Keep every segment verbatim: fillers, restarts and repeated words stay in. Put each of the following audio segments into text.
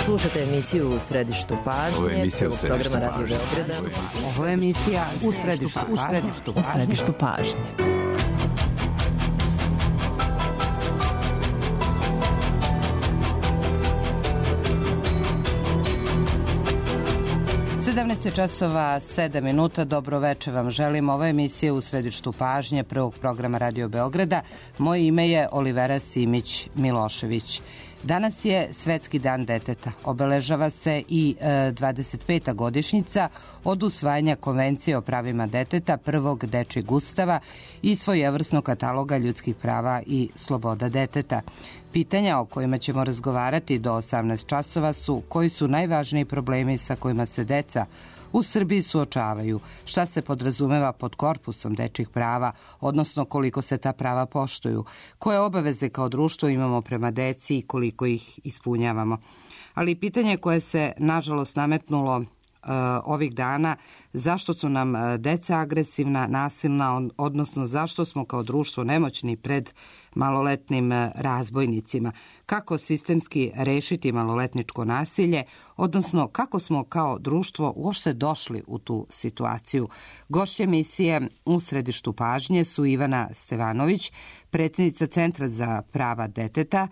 Slušate emisiju U središtu pažnje. Ovo je emisija U središtu programa Radio pažnje. Beograda. Ovo je emisija U središtu, u središtu, u središtu pažnje. sedamnaest časova sedam minuta, dobro veče vam želim. Ovo je emisija U središtu pažnje prvog programa Radio Beograda. Moje ime je Olivera Simić Milošević. Danas je Svetski dan deteta. Obeležava se i e, dvadeset peta godišnjica od usvajanja Konvencije o pravima deteta, prvog dečijeg ustava i svojevrsnog kataloga ljudskih prava i sloboda deteta. Pitanja o kojima ćemo razgovarati do osamnaest časova su koji su najvažniji problemi sa kojima se deca u Srbiji suočavaju, šta se podrazumeva pod korpusom dečjih prava, odnosno koliko se ta prava poštuju, koje obaveze kao društvo imamo prema deci i koliko ih ispunjavamo. Ali pitanje koje se nažalost nametnulo Uh, ovih dana, zašto su nam uh, deca agresivna, nasilna, odnosno zašto smo kao društvo nemoćni pred maloletnim uh, razbojnicima, kako sistemski rešiti maloletničko nasilje, odnosno kako smo kao društvo uopšte došli u tu situaciju. Gošće emisije U središtu pažnje su Ivana Stevanović, predsjednica Centra za prava deteta.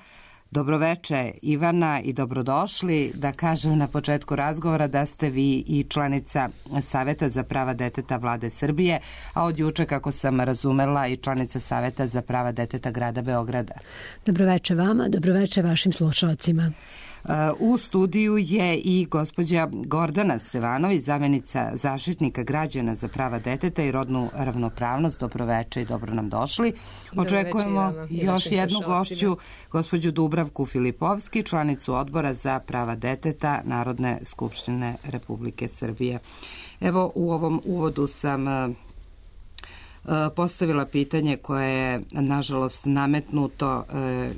Dobroveče Ivana i dobrodošli. Da kažem na početku razgovora da ste vi i članica Saveta za prava deteta Vlade Srbije, a od juče, kako sam razumela, i članica Saveta za prava deteta grada Beograda. Dobroveče vama, dobroveče vašim slušalcima. U studiju je i gospođa Gordana Stevanović, zamjenica zaštitnika građana za prava deteta i rodnu ravnopravnost. Dobroveče i dobro nam došli. Očekujemo još jednu gošću, gospođu Dubravku Filipovski, članicu Odbora za prava deteta Narodne skupštine Republike Srbije. Evo, u ovom uvodu sam postavila pitanje koje je nažalost nametnuto.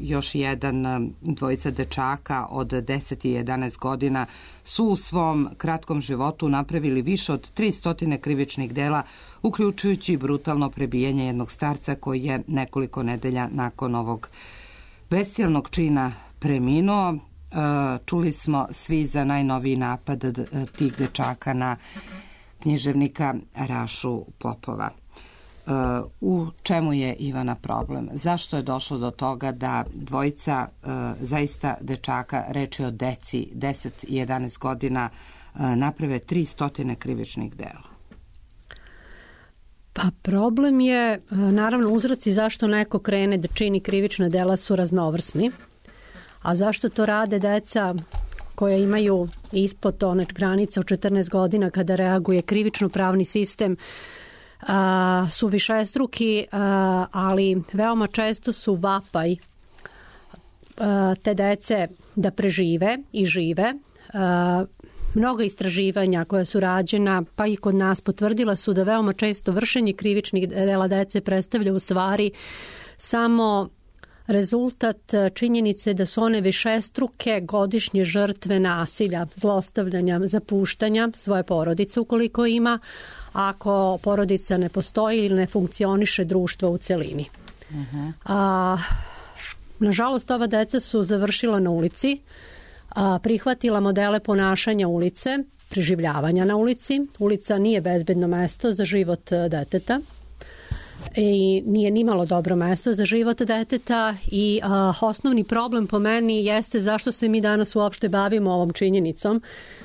Još jedan dvojica dečaka od deset i jedanaest godina su u svom kratkom životu napravili više od tristo krivičnih dela, uključujući brutalno prebijanje jednog starca koji je nekoliko nedelja nakon ovog bestijalnog čina preminuo. Čuli smo svi za najnoviji napad tih dečaka na književnika Rašu Popova. U čemu je, Ivana, problem? Zašto je došlo do toga da dvojica uh, zaista dečaka, reč je o deci deset i jedanaest godina, uh, naprave tristo krivičnih dela? Pa problem je, naravno, uzroci zašto neko krene da čini krivična dela su raznovrsni, a zašto to rade deca koja imaju ispod one granice od četrnaest godina kada reaguje krivično pravni sistem, Uh, su višestruki, uh, ali veoma često su vapaj uh, te dece da prežive i žive. Uh, mnogo istraživanja koja su rađena, pa i kod nas, potvrdila su da veoma često vršenje krivičnih dela dece predstavlja u stvari samo rezultat činjenice da su one višestruke godišnje žrtve nasilja, zlostavljanja, zapuštanja svoje porodice ukoliko ima, ako porodica ne postoji ili ne funkcioniše društvo u celini. Uh-huh. A, nažalost, ova deca su završila na ulici, a, prihvatila modele ponašanja ulice, preživljavanja na ulici. Ulica nije bezbedno mesto za život deteta i nije nimalo dobro mesto za život deteta i a, osnovni problem po meni jeste zašto se mi danas uopšte bavimo ovom činjenicom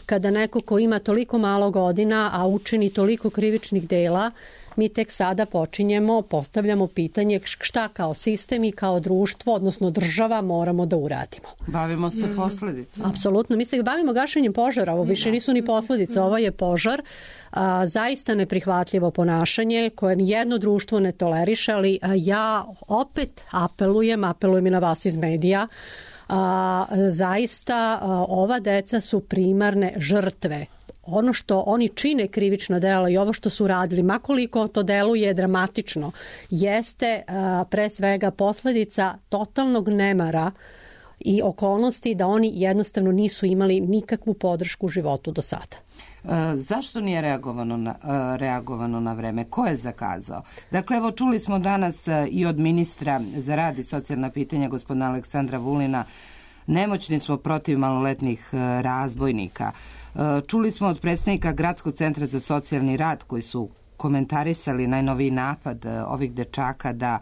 kada neko ko ima toliko malo godina, a učini toliko krivičnih dela, mi tek sada počinjemo, postavljamo pitanje šta kao sistem i kao društvo, odnosno država, moramo da uradimo. Bavimo se mm. posledicama. Apsolutno. Mi se bavimo gašenjem požara. Ovo više nisu ni posledice. Ovo je požar. A, zaista neprihvatljivo ponašanje koje nijedno društvo ne toleriše, ali a, ja opet apelujem, apelujem i na vas iz medija, a, zaista a, ova deca su primarne žrtve. Ono što oni čine krivično delo i ovo što su radili, makoliko to deluje dramatično, jeste a, pre svega posledica totalnog nemara i okolnosti da oni jednostavno nisu imali nikakvu podršku u životu do sada. E, zašto nije reagovano na, e, reagovano na vreme? Ko je zakazao? Dakle, evo, čuli smo danas e, i od ministra za rad i socijalna pitanja, gospodina Aleksandra Vulina, nemoćni smo protiv maloletnih razbojnika. Čuli smo od predstavnika Gradskog centra za socijalni rad koji su komentarisali najnoviji napad ovih dečaka da,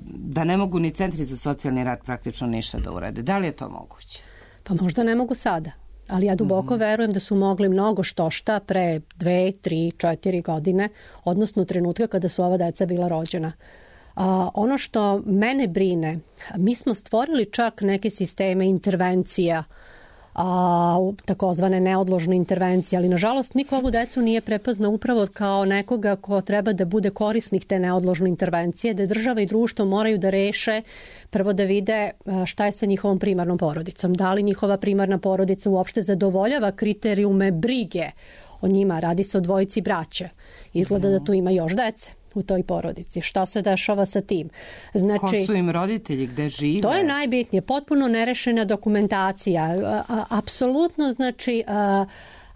da ne mogu ni centri za socijalni rad praktično ništa da urade. Da li je to moguće? Pa možda ne mogu sada. Ali ja duboko mm-hmm. verujem da su mogli mnogo štošta pre dve, tri, četiri godine, odnosno u trenutka kada su ova deca bila rođena. A, ono što mene brine, mi smo stvorili čak neke sisteme intervencija, a, takozvane neodložne intervencije, ali nažalost niko ovu decu nije prepoznao upravo kao nekoga ko treba da bude korisnik te neodložne intervencije, da država i društvo moraju da reše, prvo da vide šta je sa njihovom primarnom porodicom, da li njihova primarna porodica uopšte zadovoljava kriterijume brige o njima, radi se o dvojici braće, izgleda da tu ima još dece u toj porodici. Šta se dešava sa tim? Znači, ko su im roditelji, gde žive? To je najbitnije, potpuno nerešena dokumentacija. A, apsolutno, znači, a,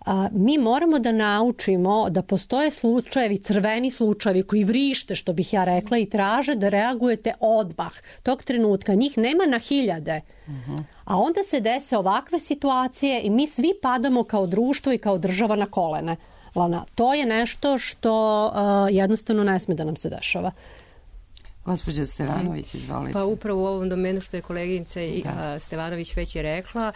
a, mi moramo da naučimo da postoje slučajevi, crveni slučajevi koji vrište, što bih ja rekla, i traže da reagujete odmah. Tog trenutka njih nema na hiljade. Uh-huh. A onda se dese ovakve situacije i mi svi padamo kao društvo i kao država na kolene. Lana, to je nešto što uh, jednostavno ne sme da nam se dešava. Gospođa Stevanović, izvolite. Pa upravo u ovom domenu što je koleginica da. Stevanović već je rekla,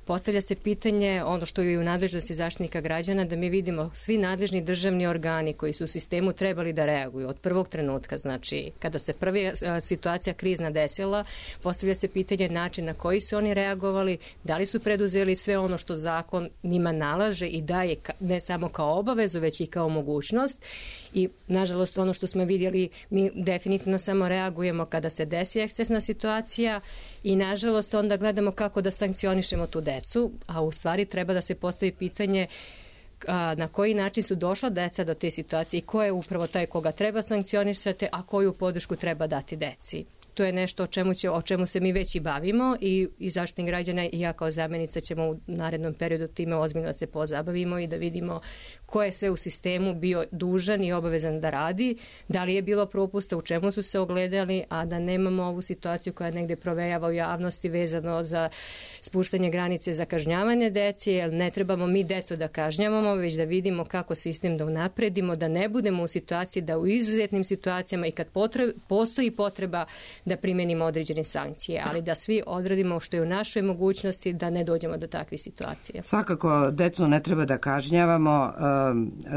postavlja se pitanje, ono što je u nadležnosti Zaštitnika građana, da mi vidimo svi nadležni državni organi koji su u sistemu trebali da reaguju od prvog trenutka, znači kada se prva situacija krizna desila, postavlja se pitanje način na koji su oni reagovali, da li su preduzeli sve ono što zakon njima nalaže i daje ne samo kao obavezu, već i kao mogućnost. I nažalost ono što smo vidjeli, mi definitivno samo reagujemo kada se desi ekscesna situacija i nažalost onda gledamo kako da sankcionišemo tu decu, a u stvari treba da se postavi pitanje a, na koji način su došla deca do te situacije i ko je upravo taj koga treba sankcionisati, a koju podršku treba dati deci. To je nešto o čemu, će, o čemu se mi već i bavimo i, i Zaštitnik građana i ja kao zamjenica ćemo u narednom periodu time ozbiljno da se pozabavimo i da vidimo ko je sve u sistemu bio dužan i obavezan da radi, da li je bilo propusta, u čemu su se ogledali, a da nemamo ovu situaciju koja negde provejava u javnosti vezano za spuštanje granice za kažnjavanje dece, jer ne trebamo mi decu da kažnjavamo, već da vidimo kako sistem da unapredimo, da ne budemo u situaciji da u izuzetnim situacijama i kad potreb, postoji potreba da primenimo određene sankcije, ali da svi odradimo što je u našoj mogućnosti da ne dođemo do takvih situacija. Svakako, decu ne treba da kažnjavamo.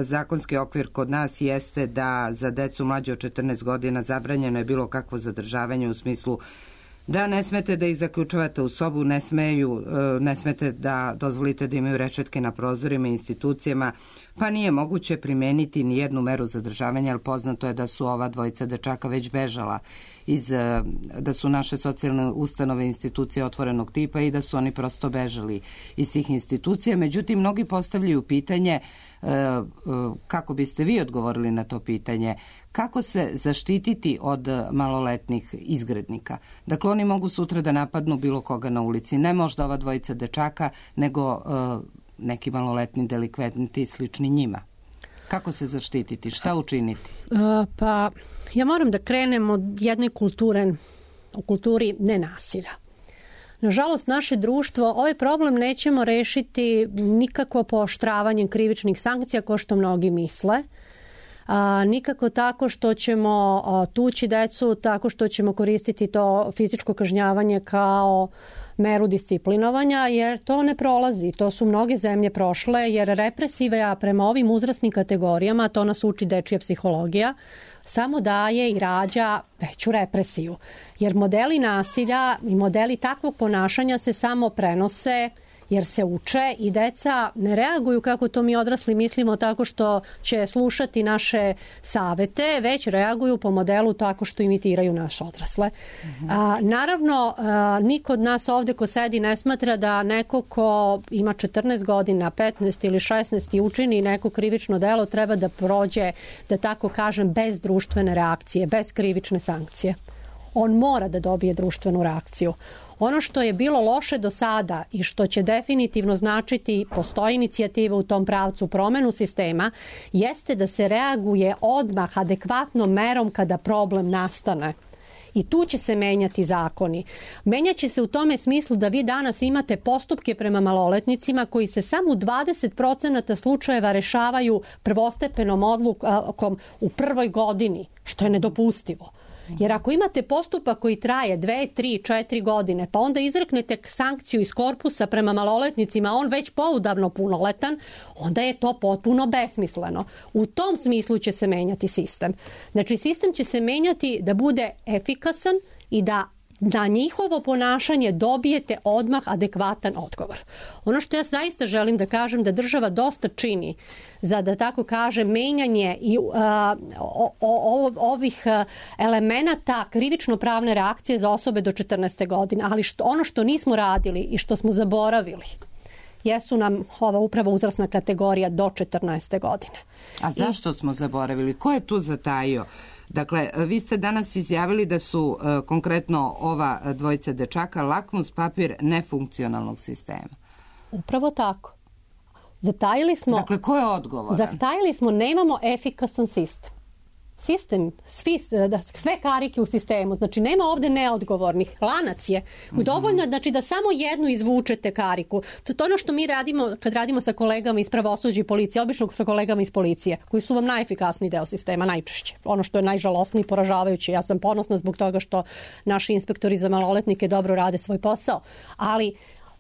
Zakonski okvir kod nas jeste da za decu mlađe od četrnaest godina zabranjeno je bilo kakvo zadržavanje u smislu da ne smete da ih zaključavate u sobu, ne smeju, ne smete da dozvolite da imaju rešetke na prozorima i institucijama, pa nije moguće primeniti ni jednu meru zadržavanja, jer poznato je da su ova dvojica dečaka već bežala iz, da su naše socijalne ustanove institucije otvorenog tipa i da su oni prosto bežali iz tih institucija. Međutim, mnogi postavljaju pitanje, kako biste vi odgovorili na to pitanje, kako se zaštititi od maloletnih izgrednika? Dakle, oni mogu sutra da napadnu bilo koga na ulici, ne možda ova dvojica dečaka, nego neki maloletni delikventi slični njima. Kako se zaštititi? Šta učiniti? Uh, pa, ja moram da krenem od jedne kulture, u kulturi nenasilja. Nažalost, naše društvo, ovaj problem nećemo rešiti nikako pooštravanjem krivičnih sankcija, kao što mnogi misle. A, nikako tako što ćemo a, tući decu, tako što ćemo koristiti to fizičko kažnjavanje kao meru disciplinovanja, jer to ne prolazi. To su mnoge zemlje prošle, jer represiva prema ovim uzrasnim kategorijama, to nas uči dečija psihologija, samo daje i rađa veću represiju. Jer modeli nasilja i modeli takvog ponašanja se samo prenose jer se uče i deca ne reaguju kako to mi odrasli mislimo tako što će slušati naše savete, već reaguju po modelu tako što imitiraju naše odrasle. Mm-hmm. A, naravno, a, niko od nas ovde ko sedi ne smatra da neko ko ima četrnaest godina, petnaest ili šesnaest i učini neko krivično delo treba da prođe, da tako kažem, bez društvene reakcije, bez krivične sankcije. On mora da dobije društvenu reakciju. Ono što je bilo loše do sada i što će definitivno značiti, postoji inicijativa u tom pravcu, promenu sistema, jeste da se reaguje odmah adekvatnom merom kada problem nastane. I tu će se menjati zakoni. Menjaće se u tome smislu da vi danas imate postupke prema maloletnicima koji se samo u dvadeset procenata slučajeva rešavaju prvostepenom odlukom u prvoj godini, što je nedopustivo. Jer ako imate postupak koji traje dve, tri, četiri godine, pa onda izreknete sankciju iz korpusa prema maloletnicima, on već poudavno punoletan, onda je to potpuno besmisleno. U tom smislu će se menjati sistem. Znači, sistem će se menjati da bude efikasan i da na njihovo ponašanje dobijete odmah adekvatan odgovor. Ono što ja zaista želim da kažem da država dosta čini za, da tako kažem, menjanje i, a, o, o, ovih elemenata krivično-pravne reakcije za osobe do četrnaeste godine. Ali što, ono što nismo radili i što smo zaboravili jesu nam ova upravo uzrasna kategorija do četrnaeste godine. A zašto I... smo zaboravili? Ko je tu zatajio? Dakle, vi ste danas izjavili da su e, konkretno ova dvojica dečaka lakmus papir nefunkcionalnog sistema. Upravo tako. Zatajili smo... Dakle, ko je odgovoran? Zatajili smo, nemamo efikasan sistem. Sistem, svi, sve karike u sistemu, znači nema ovde neodgovornih, lanac je. Mm-hmm. Dovoljno je znači, da samo jednu izvučete kariku. To je ono što mi radimo kad radimo sa kolegama iz pravosuđa i policije, obično sa kolegama iz policije, koji su vam najefikasniji deo sistema, najčešće. Ono što je najžalosnije i poražavajuće. Ja sam ponosna zbog toga što naši inspektori za maloletnike dobro rade svoj posao, ali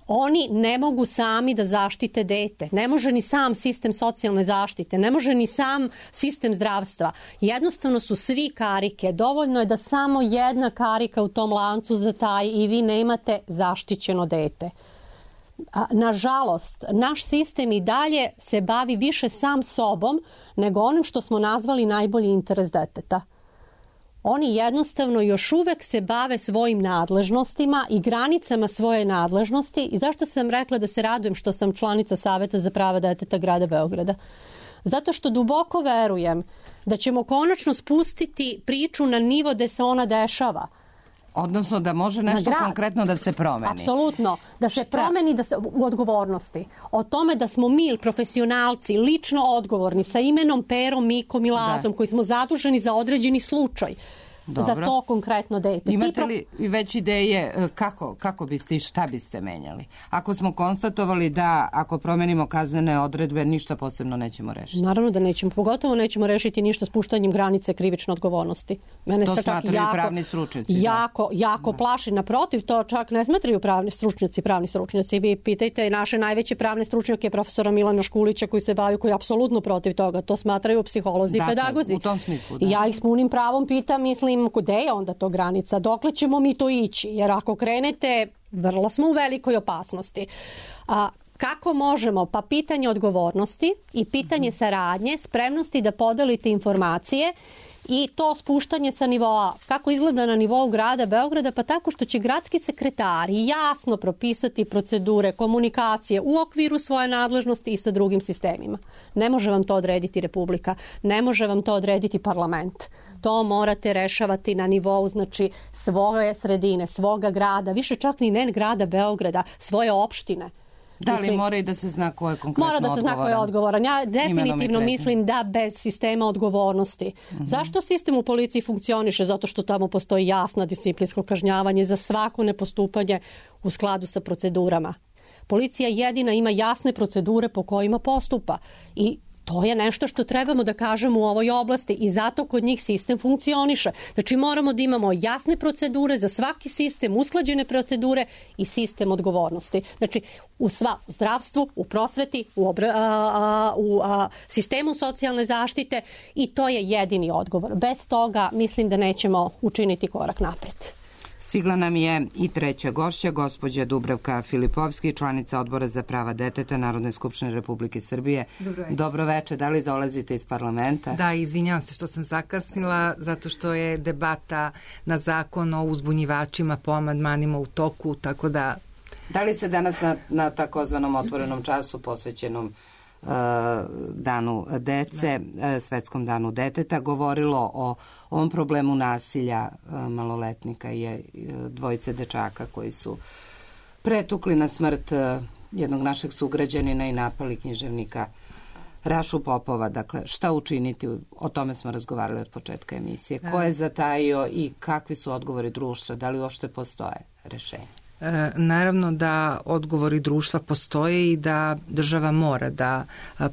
oni ne mogu sami da zaštite dete. Ne može ni sam sistem socijalne zaštite, ne može ni sam sistem zdravstva. Jednostavno su svi karike. Dovoljno je da samo jedna karika u tom lancu zataji i vi nemate zaštićeno dete. Nažalost, naš sistem i dalje se bavi više sam sobom nego onim što smo nazvali najbolji interes deteta. Oni jednostavno još uvek se bave svojim nadležnostima i granicama svoje nadležnosti. I zašto sam rekla da se radujem što sam članica Saveta za prava deteta grada Beograda? Zato što duboko verujem da ćemo konačno spustiti priču na nivo gde se ona dešava. Odnosno da može nešto konkretno da se promeni. Apsolutno. Da se Šta? promeni da se, u odgovornosti. O tome da smo mi, profesionalci, lično odgovorni sa imenom, perom, mikom i lazom, da. koji smo zaduženi za određeni slučaj. Dobro. Za to konkretno dete. Imate li već ideje kako, kako biste i šta biste menjali? Ako smo konstatovali da ako promenimo kaznene odredbe ništa posebno nećemo rešiti. Naravno da nećemo. Pogotovo nećemo rešiti ništa spuštanjem granice krivične odgovornosti. Mene to se smatraju jako, pravni stručnjaci. Jako, da. jako da. plaši. Naprotiv, to čak ne smatraju pravni stručnjaci, pravni stručnjaci. Vi pitajte naše najveće pravne stručnjake, profesora Milana Škulića koji se bavi, koji je apsolutno protiv toga. To smatraju psiholozi dakle, i pedagozi. U tom smislu, da. Ja ih s punim pravom pitam, mislim, gde je onda to granica? Dokle ćemo mi to ići? Jer ako krenete, vrlo smo u velikoj opasnosti. A kako možemo? Pa pitanje odgovornosti i pitanje saradnje, spremnosti da podelite informacije i to spuštanje sa nivoa, kako izgleda na nivou grada Beograda, pa tako što će gradski sekretari jasno propisati procedure, komunikacije u okviru svoje nadležnosti i sa drugim sistemima. Ne može vam to odrediti Republika, ne može vam to odrediti parlament. To morate rešavati na nivou, znači, svoje sredine, svoga grada, više čak ni ne grada Beograda, svoje opštine. Da li mislim, mora i da se zna ko je konkretno odgovoran? Mora da se zna ko je odgovoran. Ja definitivno mislim da bez sistema odgovornosti. Mm-hmm. Zašto sistem u policiji funkcioniše? Zato što tamo postoji jasna disciplinsko kažnjavanje za svako nepostupanje u skladu sa procedurama. Policija jedina ima jasne procedure po kojima postupa i to je nešto što trebamo da kažemo u ovoj oblasti i zato kod njih sistem funkcioniše. Znači moramo da imamo jasne procedure za svaki sistem, usklađene procedure i sistem odgovornosti. Znači u sva u zdravstvu, u prosveti, u, obra, a, a, u a, sistemu socijalne zaštite i to je jedini odgovor. Bez toga mislim da nećemo učiniti korak napred. Stigla nam je i treća gošća, gospođa Dubravka Filipovski, članica Odbora za prava deteta Narodne skupštine Republike Srbije. Dobro večer. Dobro večer. Da li dolazite iz parlamenta? Da, izvinjavam se što sam zakasnila, zato što je debata na zakon o uzbunjivačima po amandmanima u toku, tako da... Da li se danas na, na takozvanom otvorenom času posvećenom danu dece, svetskom danu deteta, govorilo o ovom problemu nasilja maloletnika i dvojice dečaka koji su pretukli na smrt jednog našeg sugrađanina i napali književnika Rašu Popova, dakle, šta učiniti, o tome smo razgovarali od početka emisije, ko je zatajio i kakvi su odgovori društva, da li uopšte postoje rešenja? E, naravno da odgovori društva postoje i da država mora da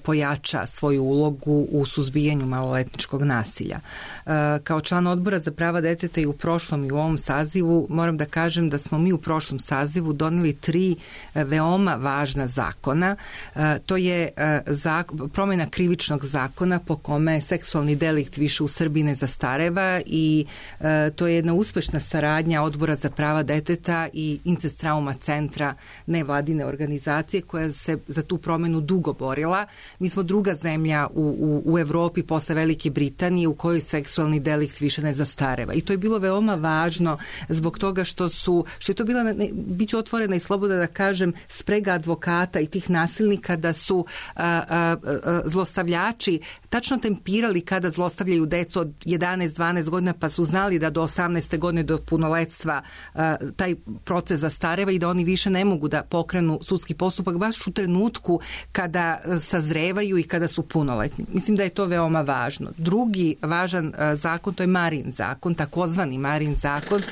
pojača svoju ulogu u suzbijanju maloletničkog nasilja. E, kao član odbora za prava deteta i u prošlom i u ovom sazivu moram da kažem da smo mi u prošlom sazivu doneli tri veoma važna zakona. E, to je e, zak, promjena krivičnog zakona po kome seksualni delikt više u Srbiji ne zastareva i e, to je jedna uspešna saradnja odbora za prava deteta i Incest trauma centra nevladine organizacije koja se za tu promenu dugo borila. Mi smo druga zemlja u, u, u Evropi posle Velike Britanije u kojoj seksualni delikt više ne zastareva. I to je bilo veoma važno zbog toga što su, što je to bila, ne, bit ću otvorena i slobodna da kažem, sprega advokata i tih nasilnika da su a, a, a, zlostavljači tačno tempirali kada zlostavljaju decu od jedanaest dvanaest godina, pa su znali da do osamnaeste godine do punoletstva a, taj proces zastareva i da oni više ne mogu da pokrenu sudski postupak baš u trenutku kada sazrevaju i kada su punoletni. Mislim da je to veoma važno. Drugi važan a, zakon, to je Marin zakon, takozvani Marin zakon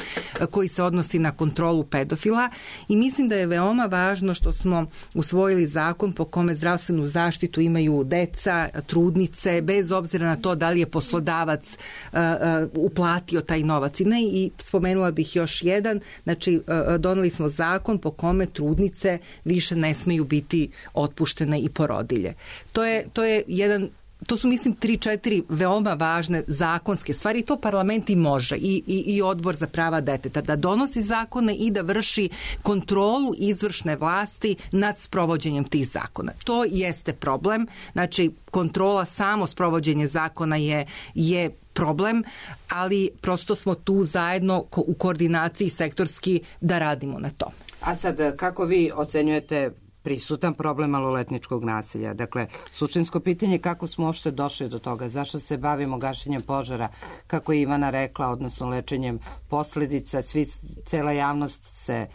a, koji se odnosi na kontrolu pedofila i mislim da je veoma važno što smo usvojili zakon po kome zdravstvenu zaštitu imaju deca, trudnice, bez obzira na to da li je poslodavac uh, uh, uplatio taj novac i ne. I spomenula bih još jedan, znači uh, doneli smo zakon po kome trudnice više ne smeju biti otpuštene i porodilje. To je, to je jedan To su, mislim, tri, četiri veoma važne zakonske stvari i to parlament i može i, i, i odbor za prava deteta da donosi zakone i da vrši kontrolu izvršne vlasti nad sprovođenjem tih zakona. To jeste problem, znači kontrola, samo sprovođenje zakona je, je problem, ali prosto smo tu zajedno u koordinaciji sektorski da radimo na to. A sad, kako vi ocenjujete prisutan problem maloletničkog nasilja? Dakle, suštinsko pitanje je kako smo uopšte došli do toga, zašto se bavimo gašenjem požara, kako je Ivana rekla, odnosno lečenjem posledica, svi, cela javnost se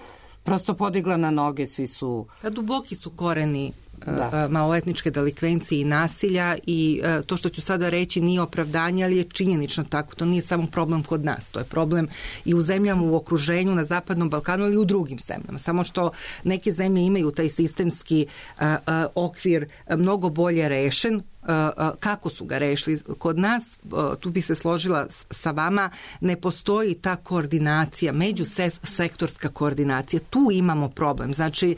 prosto podigla na noge, svi su... A duboki su koreni da. maloletničke delikvencije i nasilja i to što ću sada reći nije opravdanje, ali je činjenično tako. To nije samo problem kod nas, to je problem i u zemljama u okruženju na Zapadnom Balkanu ili u drugim zemljama. Samo što neke zemlje imaju taj sistemski uh, uh, okvir mnogo bolje rešen. Kako su ga rešili kod nas, tu bi se složila sa vama, ne postoji ta koordinacija, međusektorska koordinacija, tu imamo problem. Znači,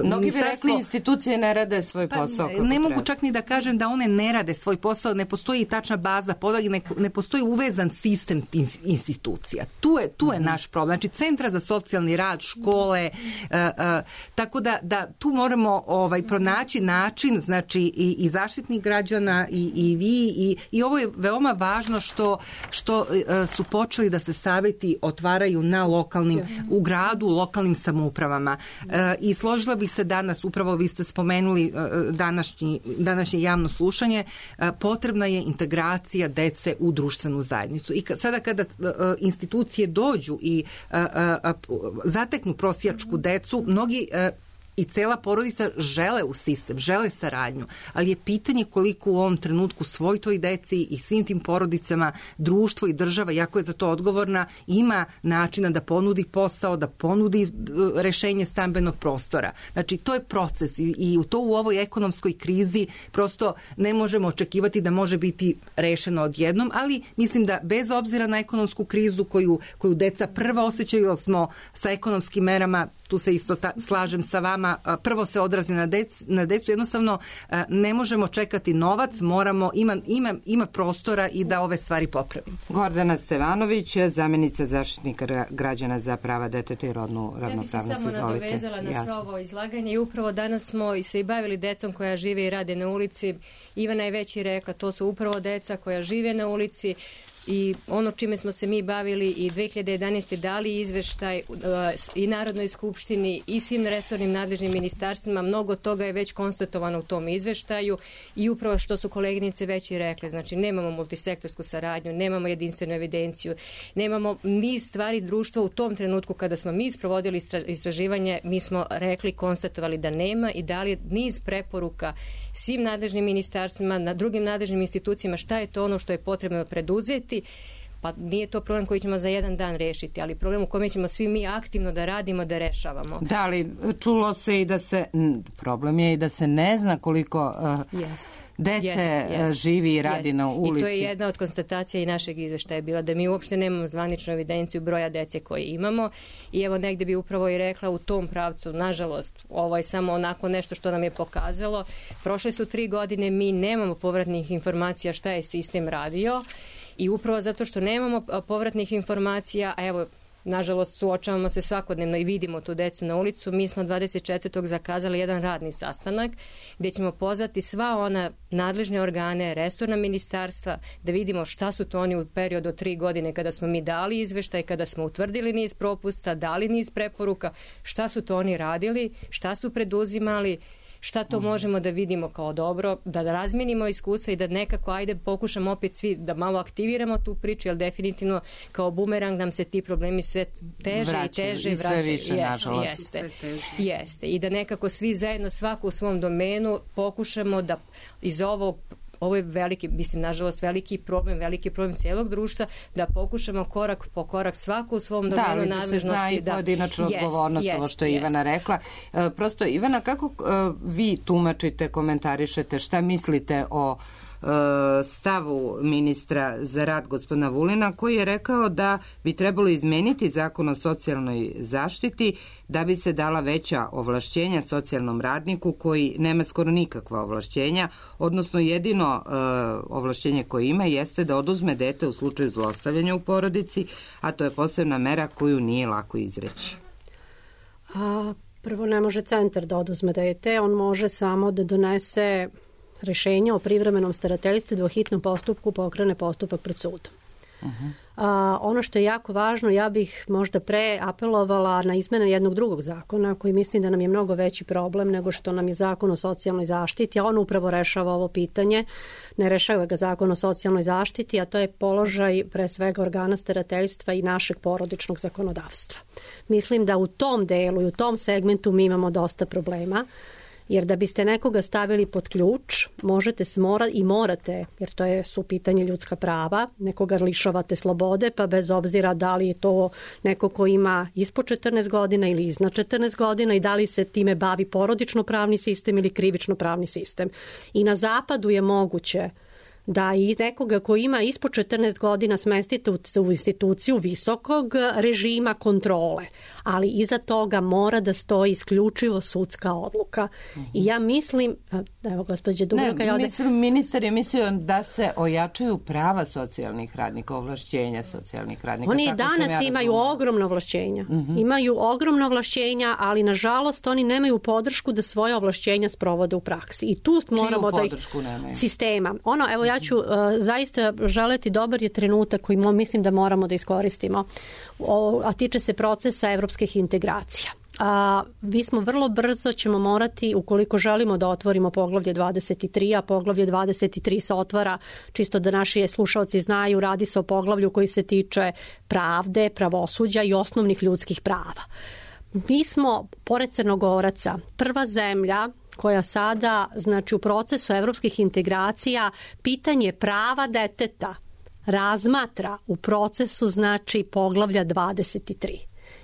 mnogi bi rekli institucije ne rade svoj posao. Pa, ne mogu čak ni da kažem da one ne rade svoj posao, ne postoji tačna baza podataka, ne, ne postoji uvezan sistem institucija. Tu je, tu je mm-hmm. naš problem. Znači, centra za socijalni rad, škole, uh, uh, tako da, da tu moramo ovaj, pronaći način, znači, i, i zaštiti građana i, i vi i, i ovo je veoma važno što, što uh, su počeli da se saveti otvaraju na lokalnim, u gradu, u lokalnim samoupravama. Uh, I složila bih se danas, upravo vi ste spomenuli uh, današnji, današnje javno slušanje, uh, potrebna je integracija dece u društvenu zajednicu. I ka, sada kada uh, institucije dođu i uh, uh, zateknu prosjačku decu, mnogi uh, i cela porodica žele u sistem, žele saradnju, ali je pitanje koliko u ovom trenutku svoj toj deci i svim tim porodicama društvo i država, iako je za to odgovorna, ima načina da ponudi posao, da ponudi rešenje stambenog prostora. Znači, to je proces i, i to u ovoj ekonomskoj krizi prosto ne možemo očekivati da može biti rešeno odjednom, ali mislim da bez obzira na ekonomsku krizu koju, koju deca prva osjećaju, jer smo sa ekonomskim merama, tu se isto ta, slažem sa vama, prvo se odrazi na, dec, na decu, jednostavno ne možemo čekati novac, moramo, ima, ima, ima prostora i da ove stvari popravimo. Gordana Stevanović, zamjenica zaštitnika građana za prava deteta i rodnu ravnopravnost. Ja bih se samo Izvolite. nadovezala na sve ovo izlaganje i upravo danas smo se i bavili decom koja žive i rade na ulici. Ivana je već i rekla, to su upravo deca koja žive na ulici. i ono čime smo se mi bavili i dve hiljade jedanaeste dali izveštaj uh, i Narodnoj skupštini i svim resornim nadležnim ministarstvima, mnogo toga je već konstatovano u tom izveštaju i upravo što su koleginice već i rekle, znači nemamo multisektorsku saradnju, nemamo jedinstvenu evidenciju, nemamo niz stvari društva u tom trenutku kada smo mi sprovodili istraživanje, mi smo rekli, konstatovali da nema i dali niz preporuka svim nadležnim ministarstvima, na drugim nadležnim institucijama šta je to ono što je potrebno preduzeti. Pa nije to problem koji ćemo za jedan dan rešiti, ali problem u kome ćemo svi mi aktivno da radimo, da rešavamo. Da, ali čulo se i da se, problem je i da se ne zna koliko uh, yes. dece yes, yes. živi i radi yes. na ulici. I to je jedna od konstatacija i našeg izveštaja bila da mi uopšte nemamo zvaničnu evidenciju broja dece koje imamo i evo negde bi upravo i rekla u tom pravcu, nažalost, ovo je samo onako nešto što nam je pokazalo. Prošle su tri godine, mi nemamo povratnih informacija šta je sistem radio. I upravo zato što nemamo povratnih informacija, a evo, nažalost, suočavamo se svakodnevno i vidimo tu decu na ulicu, mi smo dvadeset četvrtog zakazali jedan radni sastanak gdje ćemo pozvati sva ona nadležne organe, resorna ministarstva, da vidimo šta su to oni u periodu od tri godine kada smo mi dali izveštaj, kada smo utvrdili niz propusta, dali niz preporuka, šta su to oni radili, šta su preduzimali, šta to možemo da vidimo kao dobro, da razmenimo iskustva i da nekako, ajde, pokušamo opet svi da malo aktiviramo tu priču, jer definitivno kao bumerang nam se ti problemi sve teže vraćaju, i teže i sve vraćaju. Više, jeste, nažalost. Jeste, jeste. I da nekako svi zajedno, svako u svom domenu, pokušamo da iz ovog ovo je veliki, mislim, nažalost, veliki problem, veliki problem cijelog društva, da pokušamo korak po korak svako u svom domenu da, nadležnosti. Da, se zna i pojedinačna da, odgovornost, jest, ovo što je jest. Ivana rekla. E, prosto, Ivana, kako e, vi tumačite, komentarišete, šta mislite o stavu ministra za rad gospodina Vulina, koji je rekao da bi trebalo izmeniti zakon o socijalnoj zaštiti da bi se dala veća ovlašćenja socijalnom radniku koji nema skoro nikakva ovlašćenja, odnosno jedino uh, ovlašćenje koje ima jeste da oduzme dete u slučaju zlostavljanja u porodici, a to je posebna mera koju nije lako izreći. A, prvo ne može centar da oduzme dete, on može samo da donese rešenje o privremenom starateljstvu da u hitnom postupku pokrene postupak pred sudom. Uh-huh. A, ono što je jako važno, ja bih možda pre apelovala na izmene jednog drugog zakona koji mislim da nam je mnogo veći problem nego što nam je zakon o socijalnoj zaštiti, a on upravo rešava ovo pitanje. Ne rešava ga zakon o socijalnoj zaštiti, a to je položaj pre svega organa starateljstva i našeg porodičnog zakonodavstva. Mislim da u tom delu i u tom segmentu mi imamo dosta problema. Jer da biste nekoga stavili pod ključ, možete smora i morate, jer to je su pitanje ljudska prava, nekoga lišavate slobode, pa bez obzira da li je to neko ko ima ispod četrnaest godina ili iznad četrnaest godina i da li se time bavi porodično pravni sistem ili krivično pravni sistem. I na zapadu je moguće da i nekoga koji ima ispod četrnaest godina smestite u, u instituciju visokog režima kontrole, ali iza toga mora da stoji isključivo sudska odluka. Uh-huh. I ja mislim, evo gospođe Dubravka... Ne, mislim, ministar je mislio da se ojačaju prava socijalnih radnika, ovlašćenja socijalnih radnika. Oni i danas ja imaju ogromno ovlašćenja. Uh-huh. Imaju ogromno ovlašćenja, ali nažalost oni nemaju podršku da svoje ovlašćenja sprovode u praksi. I tu moramo da ih... Sistema. Ono, evo ja ću uh, zaista želeti dobar je trenutak koji mo, mislim da moramo da iskoristimo, o, a tiče se procesa evropskih integracija. A, mi smo vrlo brzo ćemo morati, ukoliko želimo da otvorimo poglavlje dvadeset tri, a poglavlje dvadeset tri se otvara, čisto da naši slušaoci znaju, radi se o poglavlju koji se tiče pravde, pravosuđa i osnovnih ljudskih prava. Mi smo, pored Crnogoraca, prva zemlja koja sada, znači u procesu evropskih integracija, pitanje prava deteta razmatra u procesu, znači, poglavlja dvadeset tri.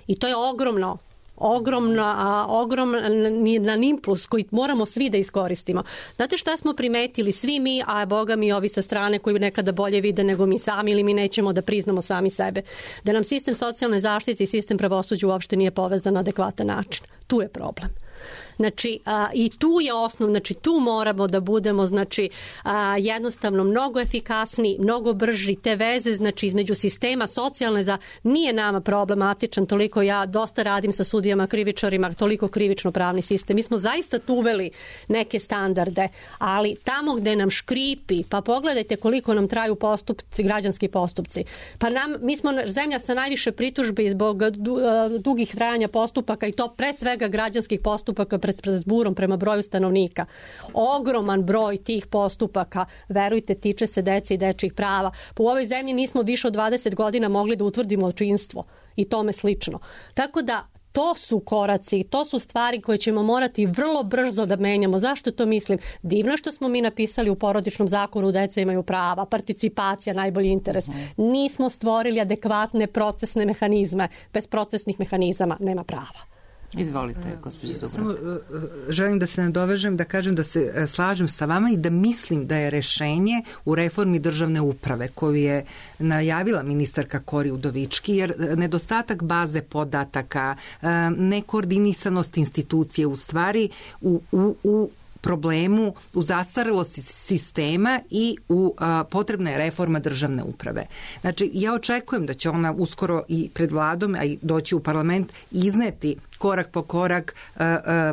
I to je ogromno, ogromna, ogroman impuls koji moramo svi da iskoristimo. Znate šta smo primetili svi mi, a boga mi ovi sa strane koji nekada bolje vide nego mi sami ili mi nećemo da priznamo sami sebe, da nam sistem socijalne zaštite i sistem pravosuđa uopšte nije povezan na adekvatan način. Tu je problem. Znači, a, i tu je osnov, znači tu moramo da budemo, znači, a, jednostavno mnogo efikasniji, mnogo brži, te veze, znači, između sistema socijalne za, nije nama problematičan, toliko ja dosta radim sa sudijama, krivičarima, toliko krivično pravni sistem. Mi smo zaista tu uveli neke standarde, ali tamo gde nam škripi, pa pogledajte koliko nam traju postupci, građanski postupci. Pa nam, mi smo zemlja sa najviše pritužbi zbog du, dugih trajanja postupaka i to pre svega građanskih postupaka pred Strasburom prema broju stanovnika. Ogroman broj tih postupaka, verujte, tiče se dece i dečjih prava. Pa u ovoj zemlji nismo više od dvadeset godina mogli da utvrdimo očinstvo i tome slično. Tako da to su koraci, to su stvari koje ćemo morati vrlo brzo da menjamo. Zašto to mislim? Divno što smo mi napisali u porodičnom zakonu deca imaju prava, participacija, najbolji interes. Nismo stvorili adekvatne procesne mehanizme. Bez procesnih mehanizama nema prava. Izvolite, gospođo Dubravka. Samo želim da se nadovežem, da kažem da se slažem sa vama i da mislim da je rešenje u reformi državne uprave koju je najavila ministarka Kori Udovički, jer nedostatak baze podataka, nekoordinisanost institucije u stvari u, u, u problemu, u zastarelosti sistema i u a, potrebna je reforma državne uprave. Znači, ja očekujem da će ona uskoro i pred vladom, a i doći u parlament, izneti korak po korak a, a,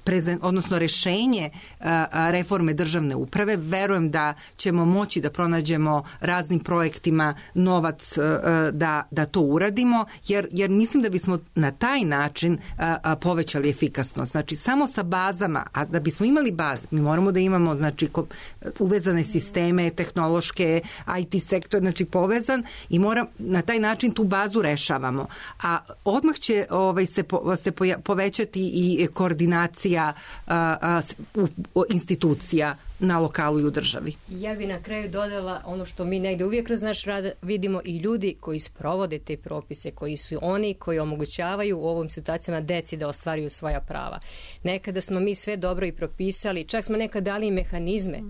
Prezen, odnosno rešenje a, reforme državne uprave. Verujem da ćemo moći da pronađemo raznim projektima novac a, da, da to uradimo, jer, jer mislim da bismo na taj način a, a, povećali efikasnost. Znači, samo sa bazama, a da bismo imali baze, mi moramo da imamo, znači, ko, uvezane sisteme, tehnološke, I T sektor, znači, povezan i mora, na taj način tu bazu rešavamo. A odmah će ovaj, se, po, se poja, povećati i koordinacija A, a, u, institucija na lokalu i u državi. Ja bi na kraju dodala ono što mi negde uvijek kroz naš rad vidimo i ljudi koji sprovode te propise, koji su oni koji omogućavaju u ovim situacijama deci da ostvaruju svoja prava. Nekada smo mi sve dobro i propisali, čak smo nekad dali i mehanizme,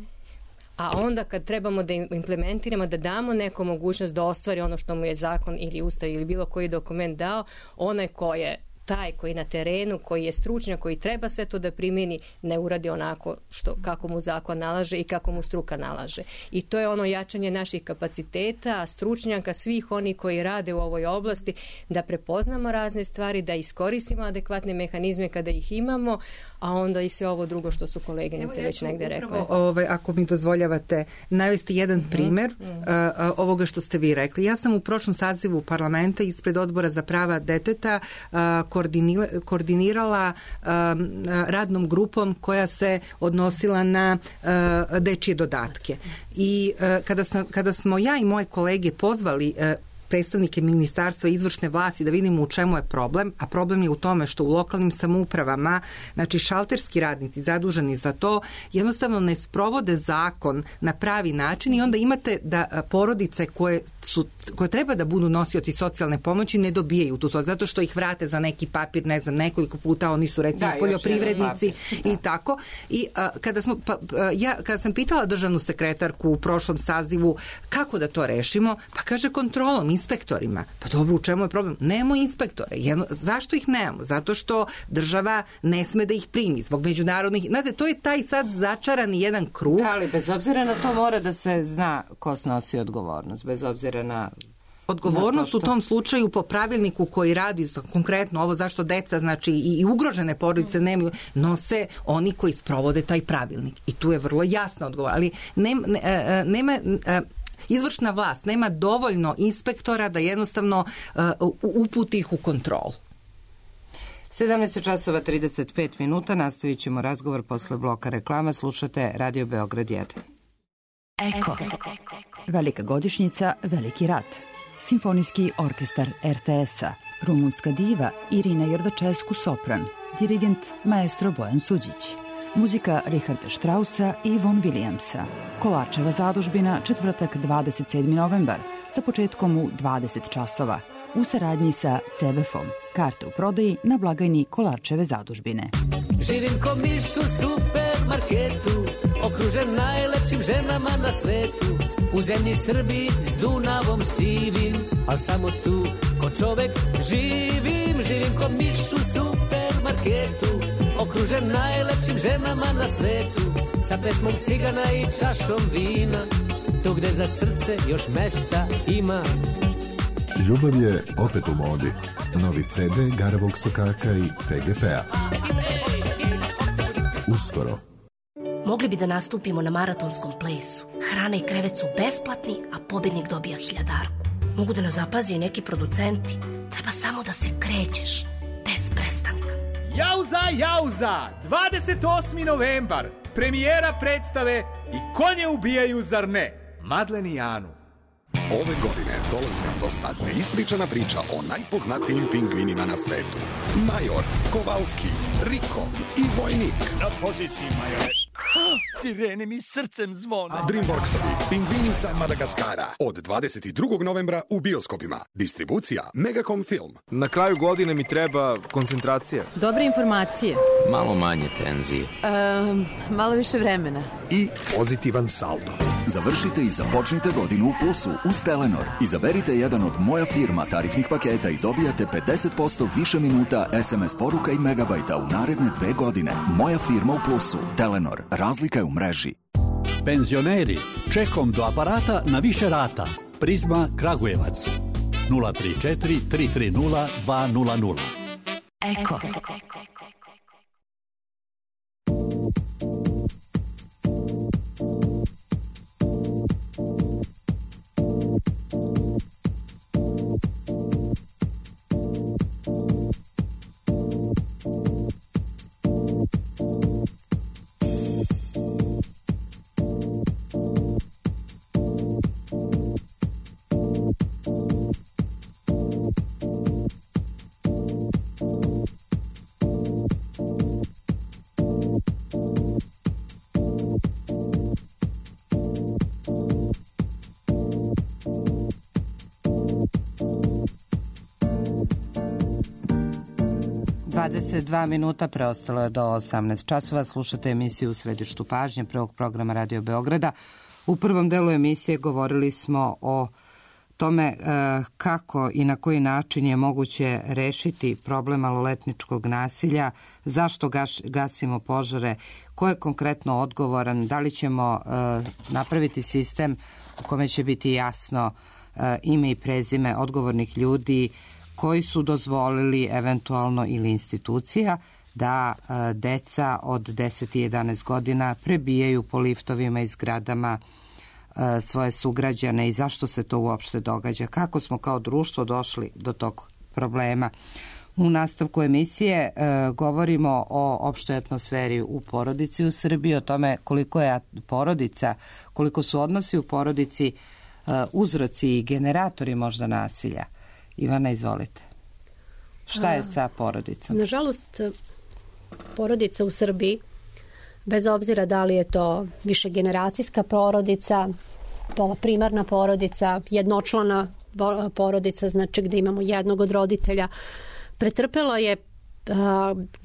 a onda kad trebamo da implementiramo, da damo neku mogućnost da ostvari ono što mu je zakon ili ustav ili bilo koji dokument dao, onaj ko je taj koji na terenu, koji je stručnjak, koji treba sve to da primjeni, ne uradi onako što, kako mu zakon nalaže i kako mu struka nalaže. I to je ono jačanje naših kapaciteta, stručnjaka, svih oni koji rade u ovoj oblasti, da prepoznamo razne stvari, da iskoristimo adekvatne mehanizme kada ih imamo, a onda i sve ovo drugo što su koleginice već negde rekle. Ovaj, ako mi dozvoljavate navesti jedan mm-hmm. primer mm-hmm. Uh, ovoga što ste vi rekli. Ja sam u prošlom sazivu parlamenta ispred Odbora za prava deteta uh, koordinirala um, radnom grupom koja se odnosila na uh, dečije dodatke. I uh, kada, sam, kada smo ja i moje kolege pozvali uh, predstavnike ministarstva i izvršne vlasti da vidimo u čemu je problem, a problem je u tome što u lokalnim samoupravama, znači šalterski radnici zaduženi za to, jednostavno ne sprovode zakon na pravi način i onda imate da porodice koje, su, koje treba da budu nosioci socijalne pomoći ne dobijaju tu socijalnu, zato što ih vrate za neki papir, ne znam, nekoliko puta, oni su recimo da, poljoprivrednici i da. Tako. I a, kada, smo, pa, ja, kada sam pitala državnu sekretarku u prošlom sazivu kako da to rešimo, pa kaže kontrolom, inspektorima. Pa dobro, u čemu je problem? Nemamo inspektore. Jedno, zašto ih nemamo? Zato što država ne sme da ih primi zbog međunarodnih... Znate, to je taj sad začarani jedan krug. Da, ali bez obzira na to mora da se zna ko snosi odgovornost. Bez obzira na... Odgovornost što... u tom slučaju po pravilniku koji radi konkretno ovo zašto deca, znači i, i ugrožene porodice nemaju, nose oni koji sprovode taj pravilnik. I tu je vrlo jasna odgovor. Ali nema... Ne, nema izvršna vlast nema dovoljno inspektora da jednostavno uh, uputi ih u kontrolu. sedamnaest časova trideset pet minuta, nastavit ćemo razgovor posle bloka reklama. Slušate Radio Beograd jedan. Eko. Velika godišnjica, veliki rat. Simfonijski orkestar R T S-a, rumunska diva Irina Jordačesku sopran, dirigent maestro Bojan Suđić. Muzika Richarda Straussa i Von Williamsa. Kolarčeva zadužbina, četvrtak dvadeset sedmi novembar, sa početkom u dvadeset časova, u saradnji sa C B F-om. Karte u prodaji na blagajni Kolarčeve zadužbine. Živim ko miš u supermarketu, okružen najlepšim ženama na svetu. U zemlji Srbiji s Dunavom sivim, al samo tu ko čovek živim. Živim ko miš u supermarketu, okružen najlepšim ženama na svetu, sa pesmom cigana i čašom vina, tu gde za srce još mesta ima. Ljubav je opet u modi. Novi ce de Garavog sokaka i te ge pe-a. Uskoro. Mogli bi da nastupimo na maratonskom plesu. Hrana i krevet su besplatni, a pobednik dobija hiljadarku. Mogu da nas zapazi i neki producenti. Treba samo da se krećeš, bez prestanka. Jauza, jauza! dvadeset osmi novembar. Premijera predstave I konje ubijaju, zar ne? Madlen i Anu. Ove godine dolazi nam do sad neispričana priča o najpoznatijim pingvinima na svetu. Major, Kovalski, Riko i Vojnik. Na poziciji, majore. Sirene mi srcem zvone. Dreamworksovi Pingvini sa Madagaskara od dvadeset drugog novembra u bioskopima. Distribucija Megacom Film. Na kraju godine mi treba koncentracija. Dobre informacije. Malo manje tenzije. Um, malo više vremena. I pozitivan saldo. Završite i započnite godinu u plusu uz Telenor. Izaberite jedan od Moja firma tarifnih paketa i dobijate pedeset posto više minuta es em es poruka i megabajta u naredne dve godine. Moja firma u plusu. Telenor. Razlika je u mreži. Penzioneri, čekom do aparata na više rata. Prizma Kragujevac. nula tri četiri tri tri nula dva nula nula. Eko. dvadeset dva minuta preostalo je do osamnaest časova. Slušate emisiju U središtu pažnje prvog programa Radio Beograda. U prvom delu emisije govorili smo o tome e, kako i na koji način je moguće rešiti problem maloletničkog nasilja, zašto gaš, gasimo požare, ko je konkretno odgovoran, da li ćemo e, napraviti sistem u kome će biti jasno e, ime i prezime odgovornih ljudi koji su dozvolili eventualno ili institucija da e, deca od deset i jedanaest godina prebijaju po liftovima i zgradama e, svoje sugrađane i zašto se to uopšte događa, kako smo kao društvo došli do tog problema. U nastavku emisije e, govorimo o opštoj atmosferi u porodici u Srbiji, o tome koliko je porodica, koliko su odnosi u porodici e, uzroci i generatori možda nasilja. Ivana, izvolite. Šta je sa porodicom? Nažalost, porodica u Srbiji, bez obzira da li je to višegeneracijska porodica, primarna porodica, jednočlana porodica, znači gde imamo jednog od roditelja, pretrpela je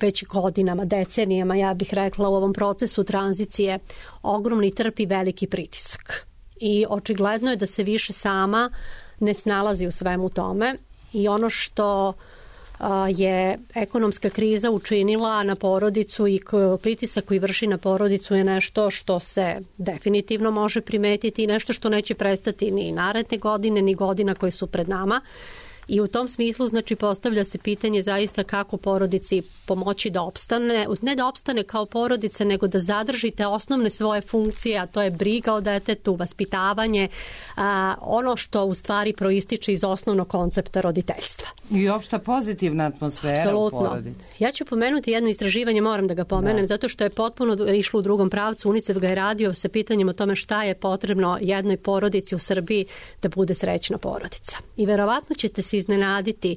već godinama, decenijama, ja bih rekla, u ovom procesu tranzicije ogromni trpi veliki pritisak. I očigledno je da se više sama ne snalazi u svemu tome i ono što je ekonomska kriza učinila na porodicu i pritisak koji vrši na porodicu je nešto što se definitivno može primetiti i nešto što neće prestati ni naredne godine ni godina koje su pred nama. I u tom smislu, znači, postavlja se pitanje zaista kako porodici pomoći da opstane, ne da opstane kao porodice, nego da zadržite osnovne svoje funkcije, a to je briga o detetu, vaspitavanje, a, ono što u stvari proističe iz osnovnog koncepta roditeljstva. I opšta pozitivna atmosfera Absolutno. U porodici. Ja ću pomenuti jedno istraživanje, moram da ga pomenem, da. zato što je potpuno išlo u drugom pravcu. UNICEF ga je radio sa pitanjem o tome šta je potrebno jednoj porodici u Srbiji da bude srećna porodica. I verovatno ćete se iznenaditi,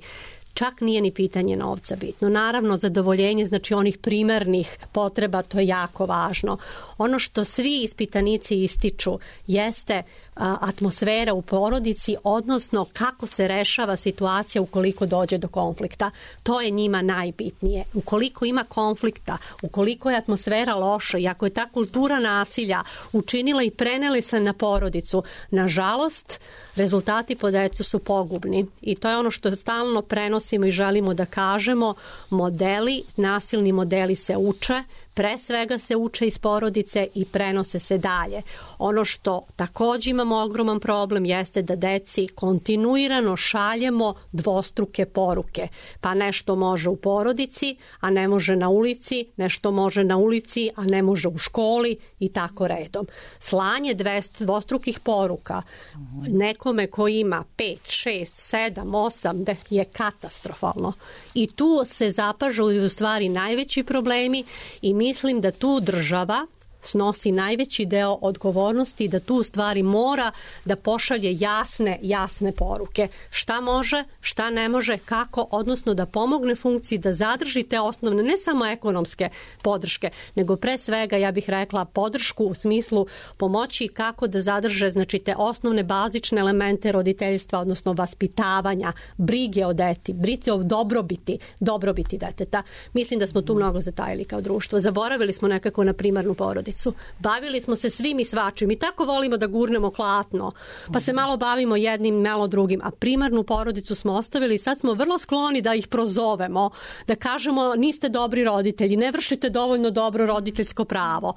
čak nije ni pitanje novca bitno. Naravno, zadovoljenje, znači onih primarnih potreba, to je jako važno. Ono što svi ispitanici ističu jeste a, atmosfera u porodici, odnosno kako se rešava situacija ukoliko dođe do konflikta. To je njima najbitnije. Ukoliko ima konflikta, ukoliko je atmosfera loša i ako je ta kultura nasilja učinila i preneli se na porodicu, nažalost, rezultati po decu su pogubni. I to je ono što stalno prenosi naglasimo i želimo da kažemo, modeli, nasilni modeli se uče, pre svega se uče iz porodice i prenose se dalje. Ono što takođe imamo ogroman problem jeste da deci kontinuirano šaljemo dvostruke poruke. Pa nešto može u porodici, a ne može na ulici, nešto može na ulici, a ne može u školi i tako redom. Slanje dvostrukih poruka nekome ko ima pet, šest, sedam, osam je katastrofalno. I tu se zapažu u stvari najveći problemi i mislim da tu država snosi najveći deo odgovornosti, da tu u stvari mora da pošalje jasne, jasne poruke. Šta može, šta ne može, kako, odnosno da pomogne funkciji da zadrži te osnovne, ne samo ekonomske podrške, nego pre svega, ja bih rekla, podršku u smislu pomoći kako da zadrže, znači, te osnovne bazične elemente roditeljstva, odnosno vaspitavanja, brige o deti, brige o dobrobiti, dobrobiti deteta. Mislim da smo tu mnogo zatajili kao društvo. Zaboravili smo nekako na primarnu porodicu. Bavili smo se svim i svačim i tako volimo da gurnemo klatno, pa se malo bavimo jednim, malo drugim, a primarnu porodicu smo ostavili i sad smo vrlo skloni da ih prozovemo, da kažemo niste dobri roditelji, ne vršite dovoljno dobro roditeljsko pravo.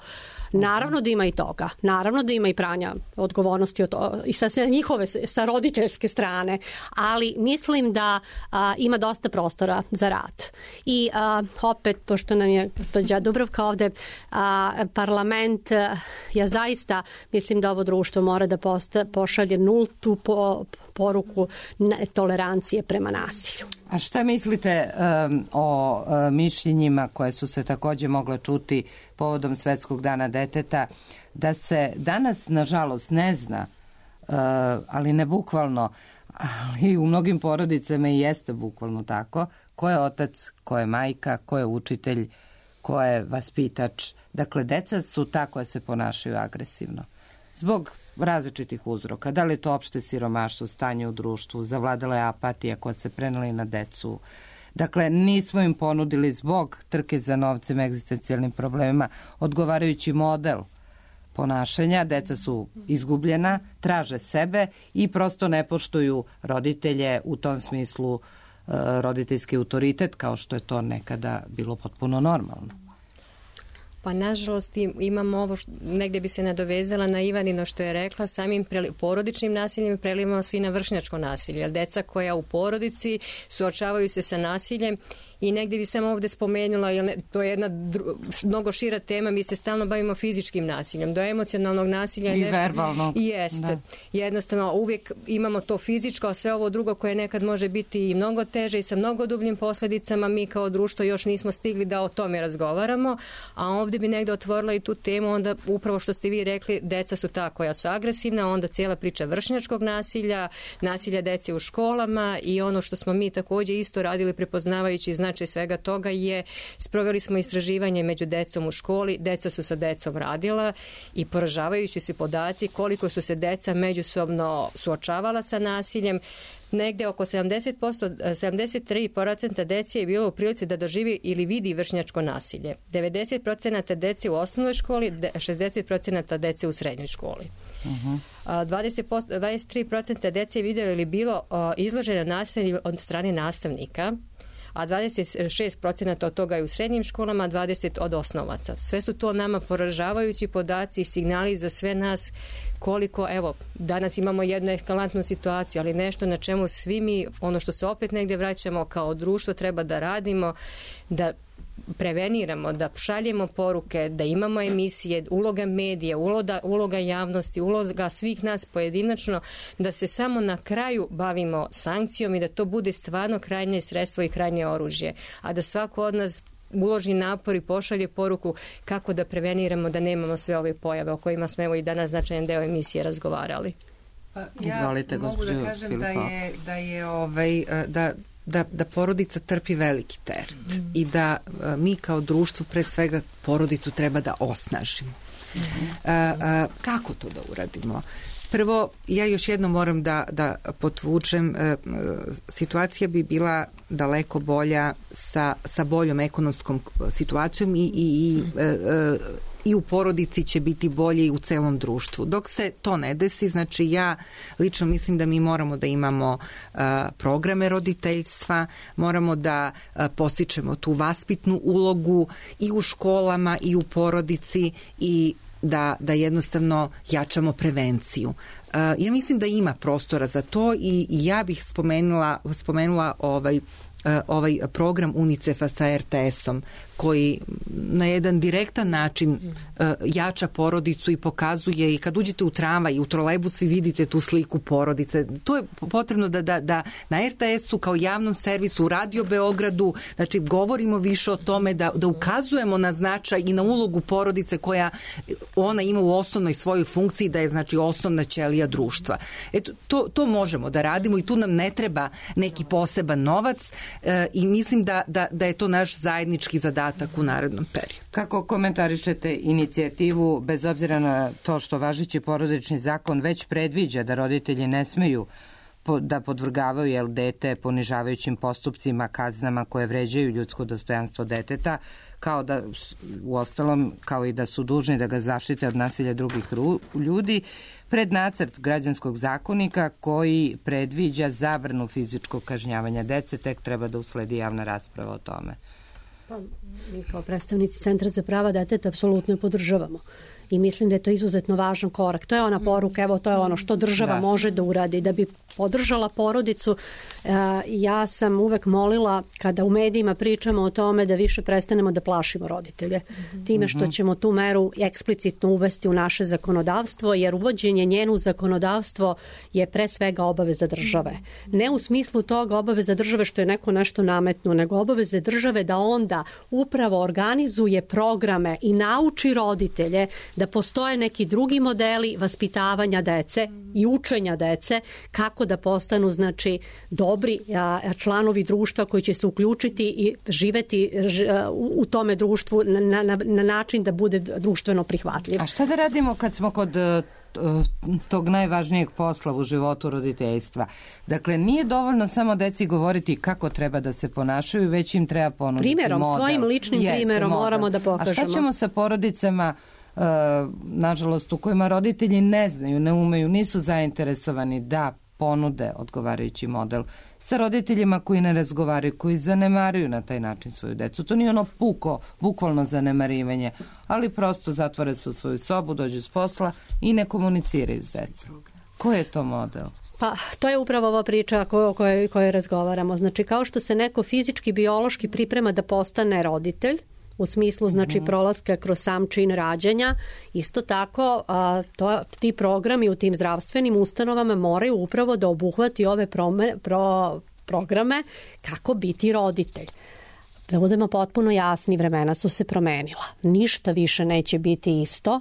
Naravno da ima i toga, naravno da ima i pranja odgovornosti od to, i sa njihove, sa roditeljske strane, ali mislim da a, ima dosta prostora za rad. I a, opet, pošto nam je gospođa Dubravka ovde, a, parlament, a, ja zaista mislim da ovo društvo mora da posta, pošalje nultu po, poruku tolerancije prema nasilju. A šta mislite um, o um, mišljenjima koje su se takođe mogle čuti povodom Svetskog dana deteta, da se danas, nažalost, ne zna, uh, ali ne bukvalno, ali u mnogim porodicama i jeste bukvalno tako, ko je otac, ko je majka, ko je učitelj, ko je vaspitač. Dakle, deca su ta koja se ponašaju agresivno. Zbog različitih uzroka. Da li je to opšte siromaštvo, stanje u društvu, zavladala je apatija koja se prenela i na decu. Dakle, nismo im ponudili zbog trke za novcem, egzistencijalnim problemima, odgovarajući model ponašanja. Deca su izgubljena, traže sebe i prosto ne poštuju roditelje, u tom smislu roditeljski autoritet, kao što je to nekada bilo potpuno normalno. Pa nažalost imamo ovo, što, negde bi se nadovezala na Ivanino što je rekla, samim preli, porodičnim nasiljem prelivamo se i na vršnjačko nasilje, jer deca koja u porodici suočavaju se sa nasiljem. I negdje bi sam ovdje spomenula, jer to je jedna dru, mnogo šira tema, mi se stalno bavimo fizičkim nasiljem, do emocionalnog nasilja. I nešto, verbalnog. Jeste. Da. Jednostavno, uvijek imamo to fizičko, a sve ovo drugo koje nekad može biti i mnogo teže i sa mnogo dubljim posljedicama, mi kao društvo još nismo stigli da o tome razgovaramo, a ovdje bi negdje otvorila i tu temu, onda upravo što ste vi rekli, deca su ta koja su agresivna, onda cijela priča vršnjačkog nasilja, nasilja dece u školama i ono što smo mi također isto radili prepoznavajući znači svega toga je, sproveli smo istraživanje među decom u školi, deca su sa decom radila i poražavajući se podaci koliko su se deca međusobno suočavala sa nasiljem. Negde oko sedamdeset posto, sedamdeset tri posto dece je bilo u prilici da doživi ili vidi vršnjačko nasilje. devedeset posto dece u osnovnoj školi, šezdeset posto dece u srednjoj školi. Uh-huh. dvadeset posto, dvadeset tri posto dece je vidjelo ili bilo izloženo nasilje od strane nastavnika, a dvadeset šest posto od toga je u srednjim školama, a dvadeset posto od osnovaca. Sve su to nama poražavajući podaci i signali za sve nas koliko, evo, danas imamo jednu eskalantnu situaciju, ali nešto na čemu svi mi, ono što se opet negdje vraćamo kao društvo, treba da radimo, da preveniramo, da šaljemo poruke, da imamo emisije, uloga medija, uloga, uloga javnosti, uloga svih nas pojedinačno, da se samo na kraju bavimo sankcijom i da to bude stvarno krajnje sredstvo i krajnje oružje, a da svako od nas uloži napor i pošalje poruku kako da preveniramo da nemamo sve ove pojave o kojima smo evo i danas značajan deo emisije razgovarali. Pa ja Izvolite, mogu da kažem Filipa. da je, da je ovaj, da Da, da porodica trpi veliki teret mm. i da a, mi kao društvo pre svega porodicu treba da osnažimo. Mm. A, a, kako to da uradimo? Prvo, ja još jedno moram da, da potvučem, a, a, situacija bi bila daleko bolja sa, sa boljom ekonomskom situacijom i, i, i a, a, i u porodici će biti bolje i u celom društvu. Dok se to ne desi, znači ja lično mislim da mi moramo da imamo uh, programe roditeljstva, moramo da uh, postičemo tu vaspitnu ulogu i u školama i u porodici i da, da jednostavno jačamo prevenciju. Uh, ja mislim da ima prostora za to i, i ja bih spomenula, spomenula ovaj ovaj program UNICEF-a sa er te esom koji na jedan direktan način uh, jača porodicu i pokazuje i kad uđete u tramvaj i u trolejbus vi vidite tu sliku porodice. To je potrebno da, da, da na er te esu kao javnom servisu u Radio Beogradu, znači govorimo više o tome da, da ukazujemo na značaj i na ulogu porodice koja ona ima u osnovnoj svojoj funkciji da je znači osnovna ćelija društva. Eto, to, to možemo da radimo i tu nam ne treba neki poseban novac e, i mislim da, da, da je to naš zajednički zadatak u narednom periodu. Kako komentarišete inicijativu, bez obzira na to što važeći porodični zakon već predviđa da roditelji ne smeju da podvrgavaju jel, dete ponižavajućim postupcima, kaznama koje vređaju ljudsko dostojanstvo deteta, kao da, u ostalom, kao i da su dužni da ga zaštite od nasilja drugih ljudi, pred nacrt građanskog zakonika koji predviđa zabranu fizičkog kažnjavanja dece, tek treba da usledi javna rasprava o tome. Pa, mi kao predstavnici Centra za prava deteta apsolutno podržavamo. I mislim da je to izuzetno važan korak. To je ona poruka, evo to je ono što država da. može da uradi. Da bi podržala porodicu, ja sam uvek molila kada u medijima pričamo o tome da više prestanemo da plašimo roditelje. Time što ćemo tu meru eksplicitno uvesti u naše zakonodavstvo, jer uvođenje njenu zakonodavstvo je pre svega obaveza države. Ne u smislu toga obaveza države što je neko nešto nametno, nego obaveze države da onda upravo organizuje programe i nauči roditelje da postoje neki drugi modeli vaspitavanja dece i učenja dece kako da postanu znači dobri a, članovi društva koji će se uključiti i živeti ž, a, u tome društvu na, na, na način da bude društveno prihvatljiv. A šta da radimo kad smo kod tog najvažnijeg posla u životu roditeljstva? Dakle, nije dovoljno samo deci govoriti kako treba da se ponašaju, već im treba ponuditi primjerom, model. Svojim ličnim Jeste, primjerom model. Moramo da pokažemo. A šta ćemo sa porodicama Uh, nažalost u kojima roditelji ne znaju, ne umeju, nisu zainteresovani da ponude odgovarajući model, sa roditeljima koji ne razgovaraju, koji zanemaruju na taj način svoju decu. To nije ono puko, bukvalno zanemarivanje, ali prosto zatvore se u svoju sobu, dođu s posla i ne komuniciraju s decom. Ko je to model? Pa, to je upravo ova priča o kojoj, kojoj razgovaramo. Znači, kao što se neko fizički, biološki priprema da postane roditelj, u smislu znači prolaska kroz sam čin rađanja, isto tako a, to, ti programi u tim zdravstvenim ustanovama moraju upravo da obuhvati ove prome, pro, programe kako biti roditelj. Da budemo potpuno jasni, vremena su se promenila. Ništa više neće biti isto.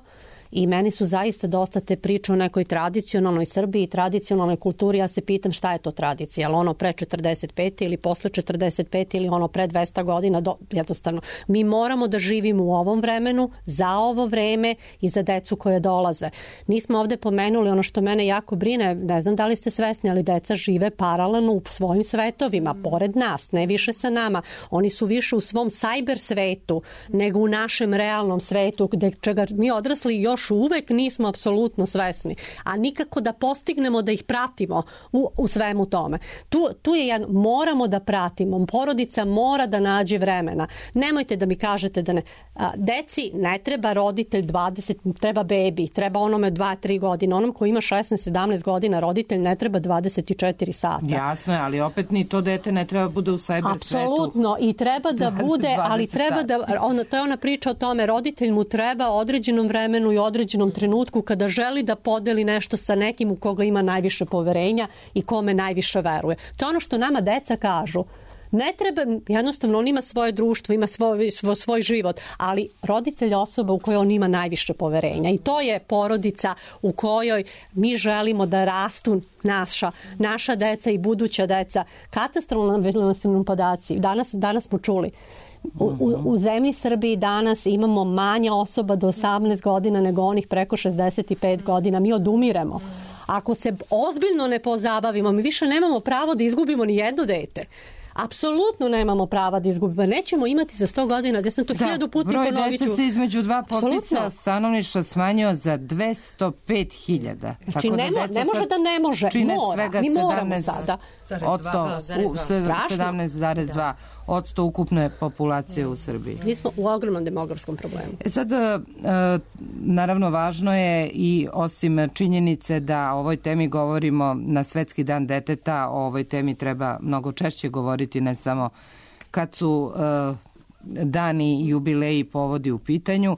I meni su zaista dosta te priče o nekoj tradicionalnoj Srbiji, tradicionalnoj kulturi. Ja se pitam šta je to tradicija, ali ono pre četrdeset pete ili posle četrdeset pete ili ono pre dvesta godina, do, jednostavno. Mi moramo da živimo u ovom vremenu, za ovo vreme i za decu koje dolaze. Nismo ovde pomenuli ono što mene jako brine, ne znam da li ste svesni, ali deca žive paralelno u svojim svetovima, pored nas, ne više sa nama. Oni su više u svom sajber svetu nego u našem realnom svetu, gde čega mi odrasli još uvek nismo apsolutno svesni, a nikako da postignemo da ih pratimo u, u svemu tome. Tu, tu je jedno, moramo da pratimo, porodica mora da nađe vremena. Nemojte da mi kažete da ne. A, deci ne treba roditelj dvadeset, treba bebi, treba onome dva tri godine, onom koji ima šesnaest sedamnaest godina roditelj ne treba dvadeset četiri sata. Jasno je, ali opet ni to dete ne treba bude u cyber svetu. Apsolutno, i treba da bude, ali treba da, ono, to je ona priča o tome, roditelj mu treba određenom vremenu i određenom trenutku kada želi da podeli nešto sa nekim u koga ima najviše poverenja i kome najviše veruje. To je ono što nama deca kažu. Ne treba, jednostavno on ima svoje društvo, ima svoj, svoj, svoj život, ali roditelj je osoba u kojoj on ima najviše poverenja i to je porodica u kojoj mi želimo da rastu naša, naša deca i buduća deca. Katastrofalni su nam podaci. Danas, danas smo čuli. U, u, u zemlji Srbiji danas imamo manje osoba do osamnaest godina nego onih preko šezdeset pet godina. Mi odumiremo. Ako se ozbiljno ne pozabavimo, mi više nemamo pravo da izgubimo ni jedno dete. Apsolutno nemamo prava da izgubimo. Nećemo imati za sto godina, ja sam to da, hiljadu puta broj ponovit ću. dece se između dva popisa Apsolutno. stanovništva smanjio za dvesto pet hiljada. Znači, ne, mo, ne može da ne može, čine mora. svega Mi moramo sedamnaest sada. sedamnaest zarez dva odsto ukupne populacije u Srbiji. Mi smo u ogromnom demografskom problemu. E sad, naravno, važno je i osim činjenice da o ovoj temi govorimo na Svetski dan deteta, o ovoj temi treba mnogo češće govoriti, ne samo kad su dani, jubileji i povodi u pitanju.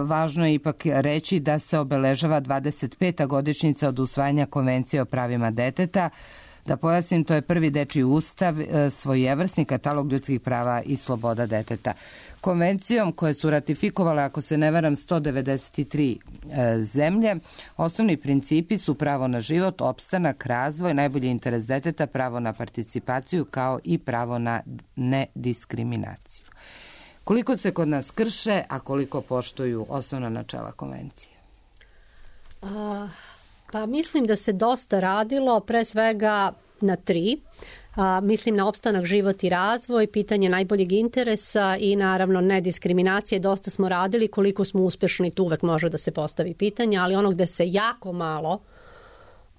Važno je ipak reći da se obeležava dvadeset peta godišnjica od usvajanja Konvencije o pravima deteta. Da pojasnim, to je prvi dečiji ustav, svojevrsni katalog ljudskih prava i sloboda deteta. Konvencijom koje su ratifikovale, ako se ne varam, sto devedeset tri zemlje, osnovni principi su pravo na život, opstanak, razvoj, najbolji interes deteta, pravo na participaciju kao i pravo na nediskriminaciju. Koliko se kod nas krše, a koliko poštuju osnovna načela konvencije? A, pa mislim da se dosta radilo, pre svega na tri. A, mislim na opstanak, život i razvoj, pitanje najboljeg interesa i naravno nediskriminacije. Dosta smo radili, koliko smo uspešni, tu uvek može da se postavi pitanje, ali ono gde se jako malo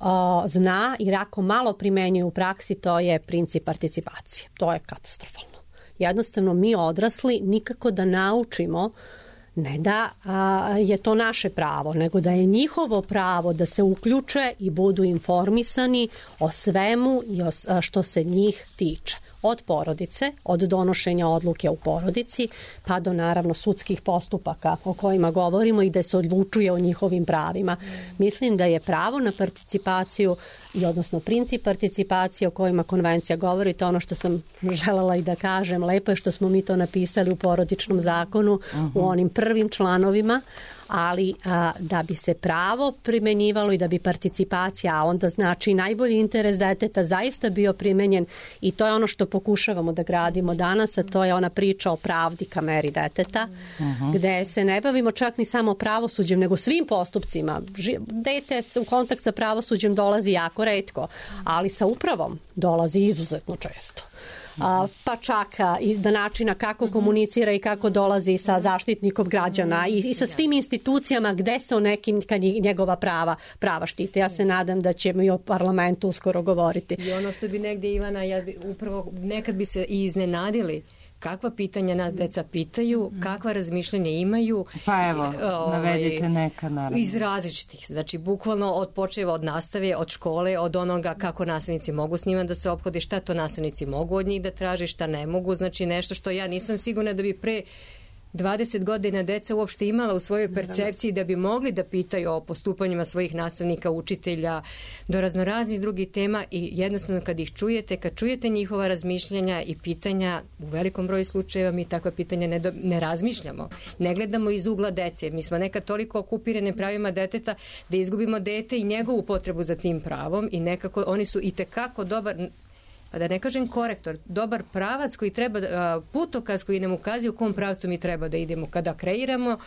a, zna i jako malo primenjuje u praksi, to je princip participacije. To je katastrofalno. Jednostavno mi odrasli nikako da naučimo ne da a, je to naše pravo, nego da je njihovo pravo da se uključe i budu informisani o svemu i o, a, što se njih tiče. Od porodice, od donošenja odluke u porodici, pa do naravno sudskih postupaka o kojima govorimo i da se odlučuje o njihovim pravima. Mislim da je pravo na participaciju i odnosno princip participacije o kojima konvencija govori, to ono što sam želela i da kažem, lepo je što smo mi to napisali u porodičnom zakonu, uh-huh. u onim prvim članovima, ali a, da bi se pravo primenjivalo i da bi participacija, a onda znači najbolji interes deteta zaista bio primenjen i to je ono što pokušavamo da gradimo danas, a to je ona priča o pravdi ka meri deteta, uh-huh. gde se ne bavimo čak ni samo pravosuđem, nego svim postupcima. Dete u kontakt sa pravosuđem dolazi jako retko, ali sa upravom dolazi izuzetno često. A, pa čak i do načina kako komunicira i kako dolazi sa zaštitnikom građana i, i sa svim institucijama gde se o nekim njegova prava, prava štite. Ja se nadam da ćemo i o parlamentu uskoro govoriti. I ono što bi negdje, Ivana, ja bi upravo nekad bi se i iznenadili kakva pitanja nas deca pitaju, kakva razmišljanja imaju. Pa evo, navedite neka naravno. Iz različitih, znači bukvalno od počeva od nastave, od škole, od onoga kako nastavnici mogu s njima da se ophode, šta to nastavnici mogu od njih da traži, šta ne mogu, znači nešto što ja nisam sigurna da bi pre dvadeset godina deca uopšte imala u svojoj percepciji da bi mogli da pitaju o postupanjima svojih nastavnika, učitelja, do raznoraznih drugih tema i jednostavno kad ih čujete, kad čujete njihova razmišljanja i pitanja, u velikom broju slučajeva mi takva pitanja ne, do, ne razmišljamo. Ne gledamo iz ugla dece. Mi smo nekad toliko okupirane pravima deteta da izgubimo dete i njegovu potrebu za tim pravom i nekako oni su i tekako dobar, pa da ne kažem korektor, dobar pravac koji treba, putokaz koji nam ukazuje u kom pravcu mi treba da idemo kada kreiramo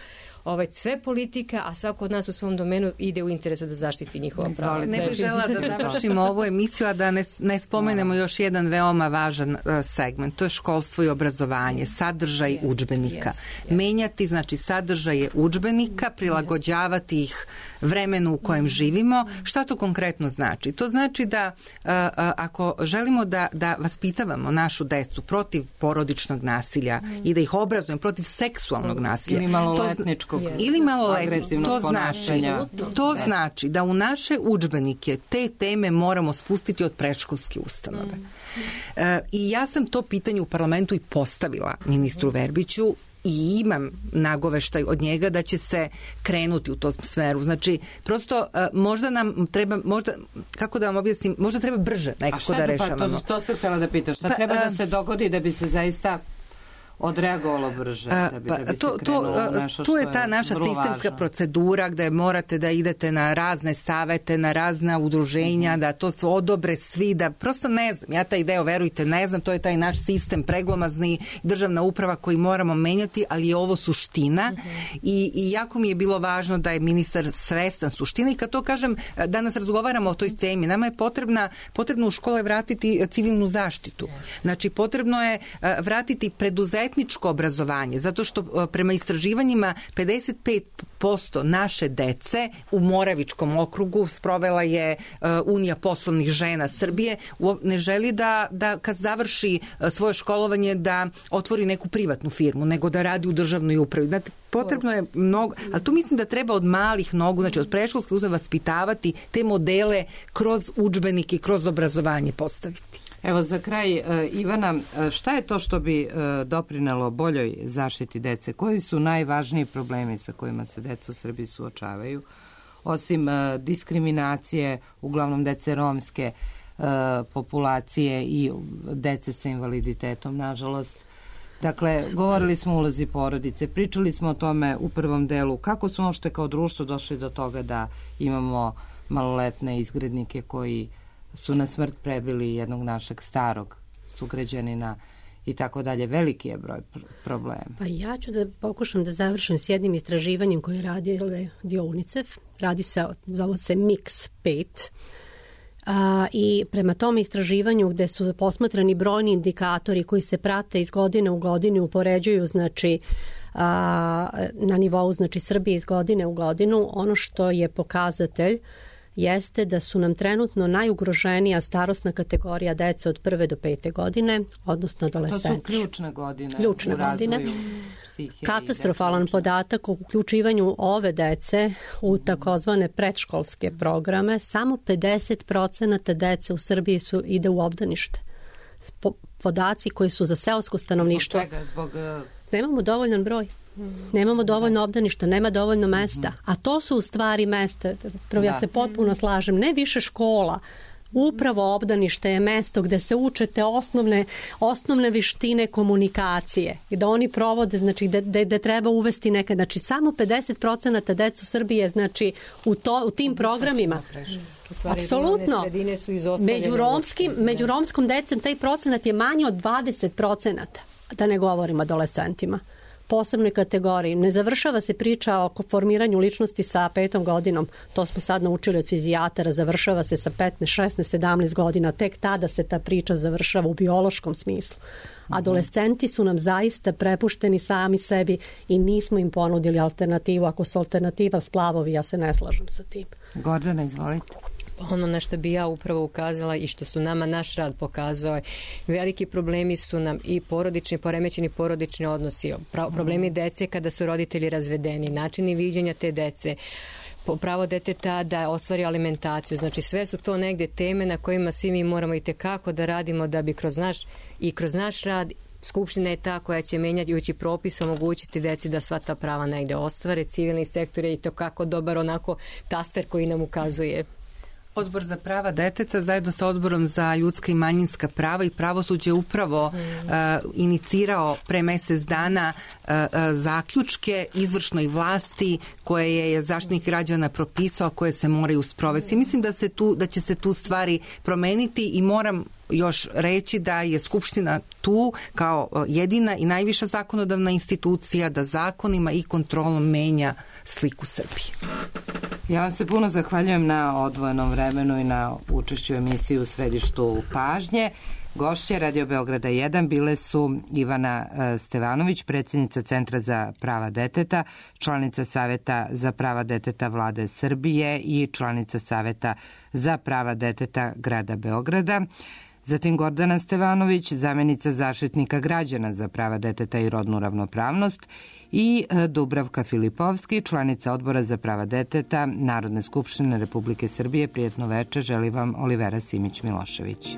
ovaj, sve politika, a svako od nas u svom domenu ide u interesu da zaštiti njihova prava. Ne bih žela da završimo ovu emisiju, a da ne, ne spomenemo još jedan veoma važan uh, segment. To je školstvo i obrazovanje, sadržaj yes, udžbenika. Yes, yes. Menjati, znači, sadržaje udžbenika, prilagođavati yes. ih vremenu u kojem živimo. Šta to konkretno znači? To znači da uh, uh, ako želimo da, da vaspitavamo našu decu protiv porodičnog nasilja mm. i da ih obrazujemo protiv seksualnog nasilja. Ili maloletničkog. Ili maloletničkog. To znači, to znači da u naše udžbenike te teme moramo spustiti od predškolske ustanove. Mm. E, I ja sam to pitanje u parlamentu i postavila ministru Verbiću i imam nagoveštaj od njega da će se krenuti u tom smeru. Znači, prosto možda nam treba, možda, kako da vam objasnim, možda treba brže nekako da rešavamo. Pa to, to se htjela da pitaš. Šta pa, treba da se dogodi da bi se zaista odreagovalo brže da bi, da bi to, se krenulo to, nešto tu što je ta naša sistemska važno. procedura gde morate da idete na razne savete, na razna udruženja, mm-hmm. da to se odobre svi, da prosto ne znam, ja taj deo, verujte, ne znam, to je taj naš sistem preglomazni, državna uprava koji moramo menjati, ali je ovo suština mm-hmm. i, i jako mi je bilo važno da je ministar svestan suštine i kad to kažem, danas razgovaramo o toj temi, nama je potrebna, potrebno u škole vratiti civilnu zaštitu. Znači, potrebno je vratiti preduzetničko obrazovanje, zato što prema istraživanjima pedeset pet posto naše dece u Moravičkom okrugu sprovela je Unija poslovnih žena Srbije, ne želi da, da kad završi svoje školovanje da otvori neku privatnu firmu, nego da radi u državnoj upravi. Znate, potrebno je mnogo, ali tu mislim da treba od malih nogu, znači od predškolske uzave vaspitavati te modele kroz udžbenike i kroz obrazovanje postaviti. Evo za kraj, Ivana, šta je to što bi doprinelo boljoj zaštiti dece? Koji su najvažniji problemi sa kojima se deca u Srbiji suočavaju? Osim diskriminacije, uglavnom dece romske populacije i dece sa invaliditetom, nažalost. Dakle, govorili smo o ulozi porodice, pričali smo o tome u prvom delu. Kako smo uopšte kao društvo došli do toga da imamo maloletne izgrednike koji su na smrt prebili jednog našeg starog sugrađanina i tako dalje. Veliki je broj pr- problema. Pa ja ću da pokušam da završim s jednim istraživanjem koje radi dio UNICEF. Radi se, zove se Mix pet. A, i prema tom istraživanju gde su posmatrani brojni indikatori koji se prate iz godine u godinu, upoređuju znači a, na nivou znači Srbije iz godine u godinu, ono što je pokazatelj jeste da su nam trenutno najugroženija starosna kategorija dece od prve do pete godine, odnosno adolescenti. To su ključne godine ključne u razvoju godine. psihe. Katastrofalan podatak o uključivanju ove dece u takozvane predškolske programe. Samo pedeset procenata dece u Srbiji su ide u obdanište. Po, podaci koji su za seosko stanovništvo. Zbog čega? Zbog... Nemamo dovoljan broj. Nemamo dovoljno obdaništa, nema dovoljno mesta. A to su u stvari mesta, prvo ja se potpuno slažem, ne više škola. Upravo obdanište je mesto gde se učete osnovne, osnovne vištine komunikacije, gde oni provode, znači gde, gde, gde treba uvesti neke, znači samo pedeset procenata decu Srbije, znači u, to, u tim programima. Apsolutno. Među romskim, među romskom decem taj procenat je manji od dvadeset procenata, da ne govorim adolescentima. Posebnoj kategoriji. Ne završava se priča o formiranju ličnosti sa petom godinom. To smo sad naučili od fizijatara. Završava se sa petnaest, šesnaest, sedamnaest godina. Tek tada se ta priča završava u biološkom smislu. Adolescenti su nam zaista prepušteni sami sebi i nismo im ponudili alternativu. Ako su alternativa splavovi, ja se ne slažem sa tim. Gordana, izvolite. Ono na što bi ja upravo ukazala i što su nama naš rad pokazao, veliki problemi su nam i porodični, poremećeni porodični odnosi, problemi dece kada su roditelji razvedeni, načini viđenja te dece, pravo deteta da ostvari alimentaciju. Znači sve su to negde teme na kojima svi mi moramo i tekako da radimo da bi kroz naš i kroz naš rad Skupština je ta koja će menjajući propis omogućiti deci da sva ta prava negde ostvare. Civilni sektor je i to kako dobar onako taster koji nam ukazuje. Odbor za prava deteta zajedno sa Odborom za ljudska i manjinska prava i pravosuđe upravo mm. uh, inicirao pre mesec dana uh, uh, zaključke izvršnoj vlasti koje je Zaštitnik građana propisao, koje se moraju sprovesti. Mm. Mislim da se tu da će se tu stvari promeniti i moram još reći da je Skupština tu kao jedina i najviša zakonodavna institucija da zakonima i kontrolom menja sliku Srbije. Ja vam se puno zahvaljujem na odvojenom vremenu i na učešću u emisiji u središtu pažnje. Gošće Radio Beograda jedan bile su Ivana Stevanović, predsjednica Centra za prava deteta, članica Saveta za prava deteta Vlade Srbije i članica Saveta za prava deteta Grada Beograda. Zatim Gordana Stevanović, zamjenica Zaštitnika građana za prava deteta i rodnu ravnopravnost i Dubravka Filipovski, članica Odbora za prava deteta Narodne skupštine Republike Srbije. Prijetno veče, želi vam Olivera Simić Milošević.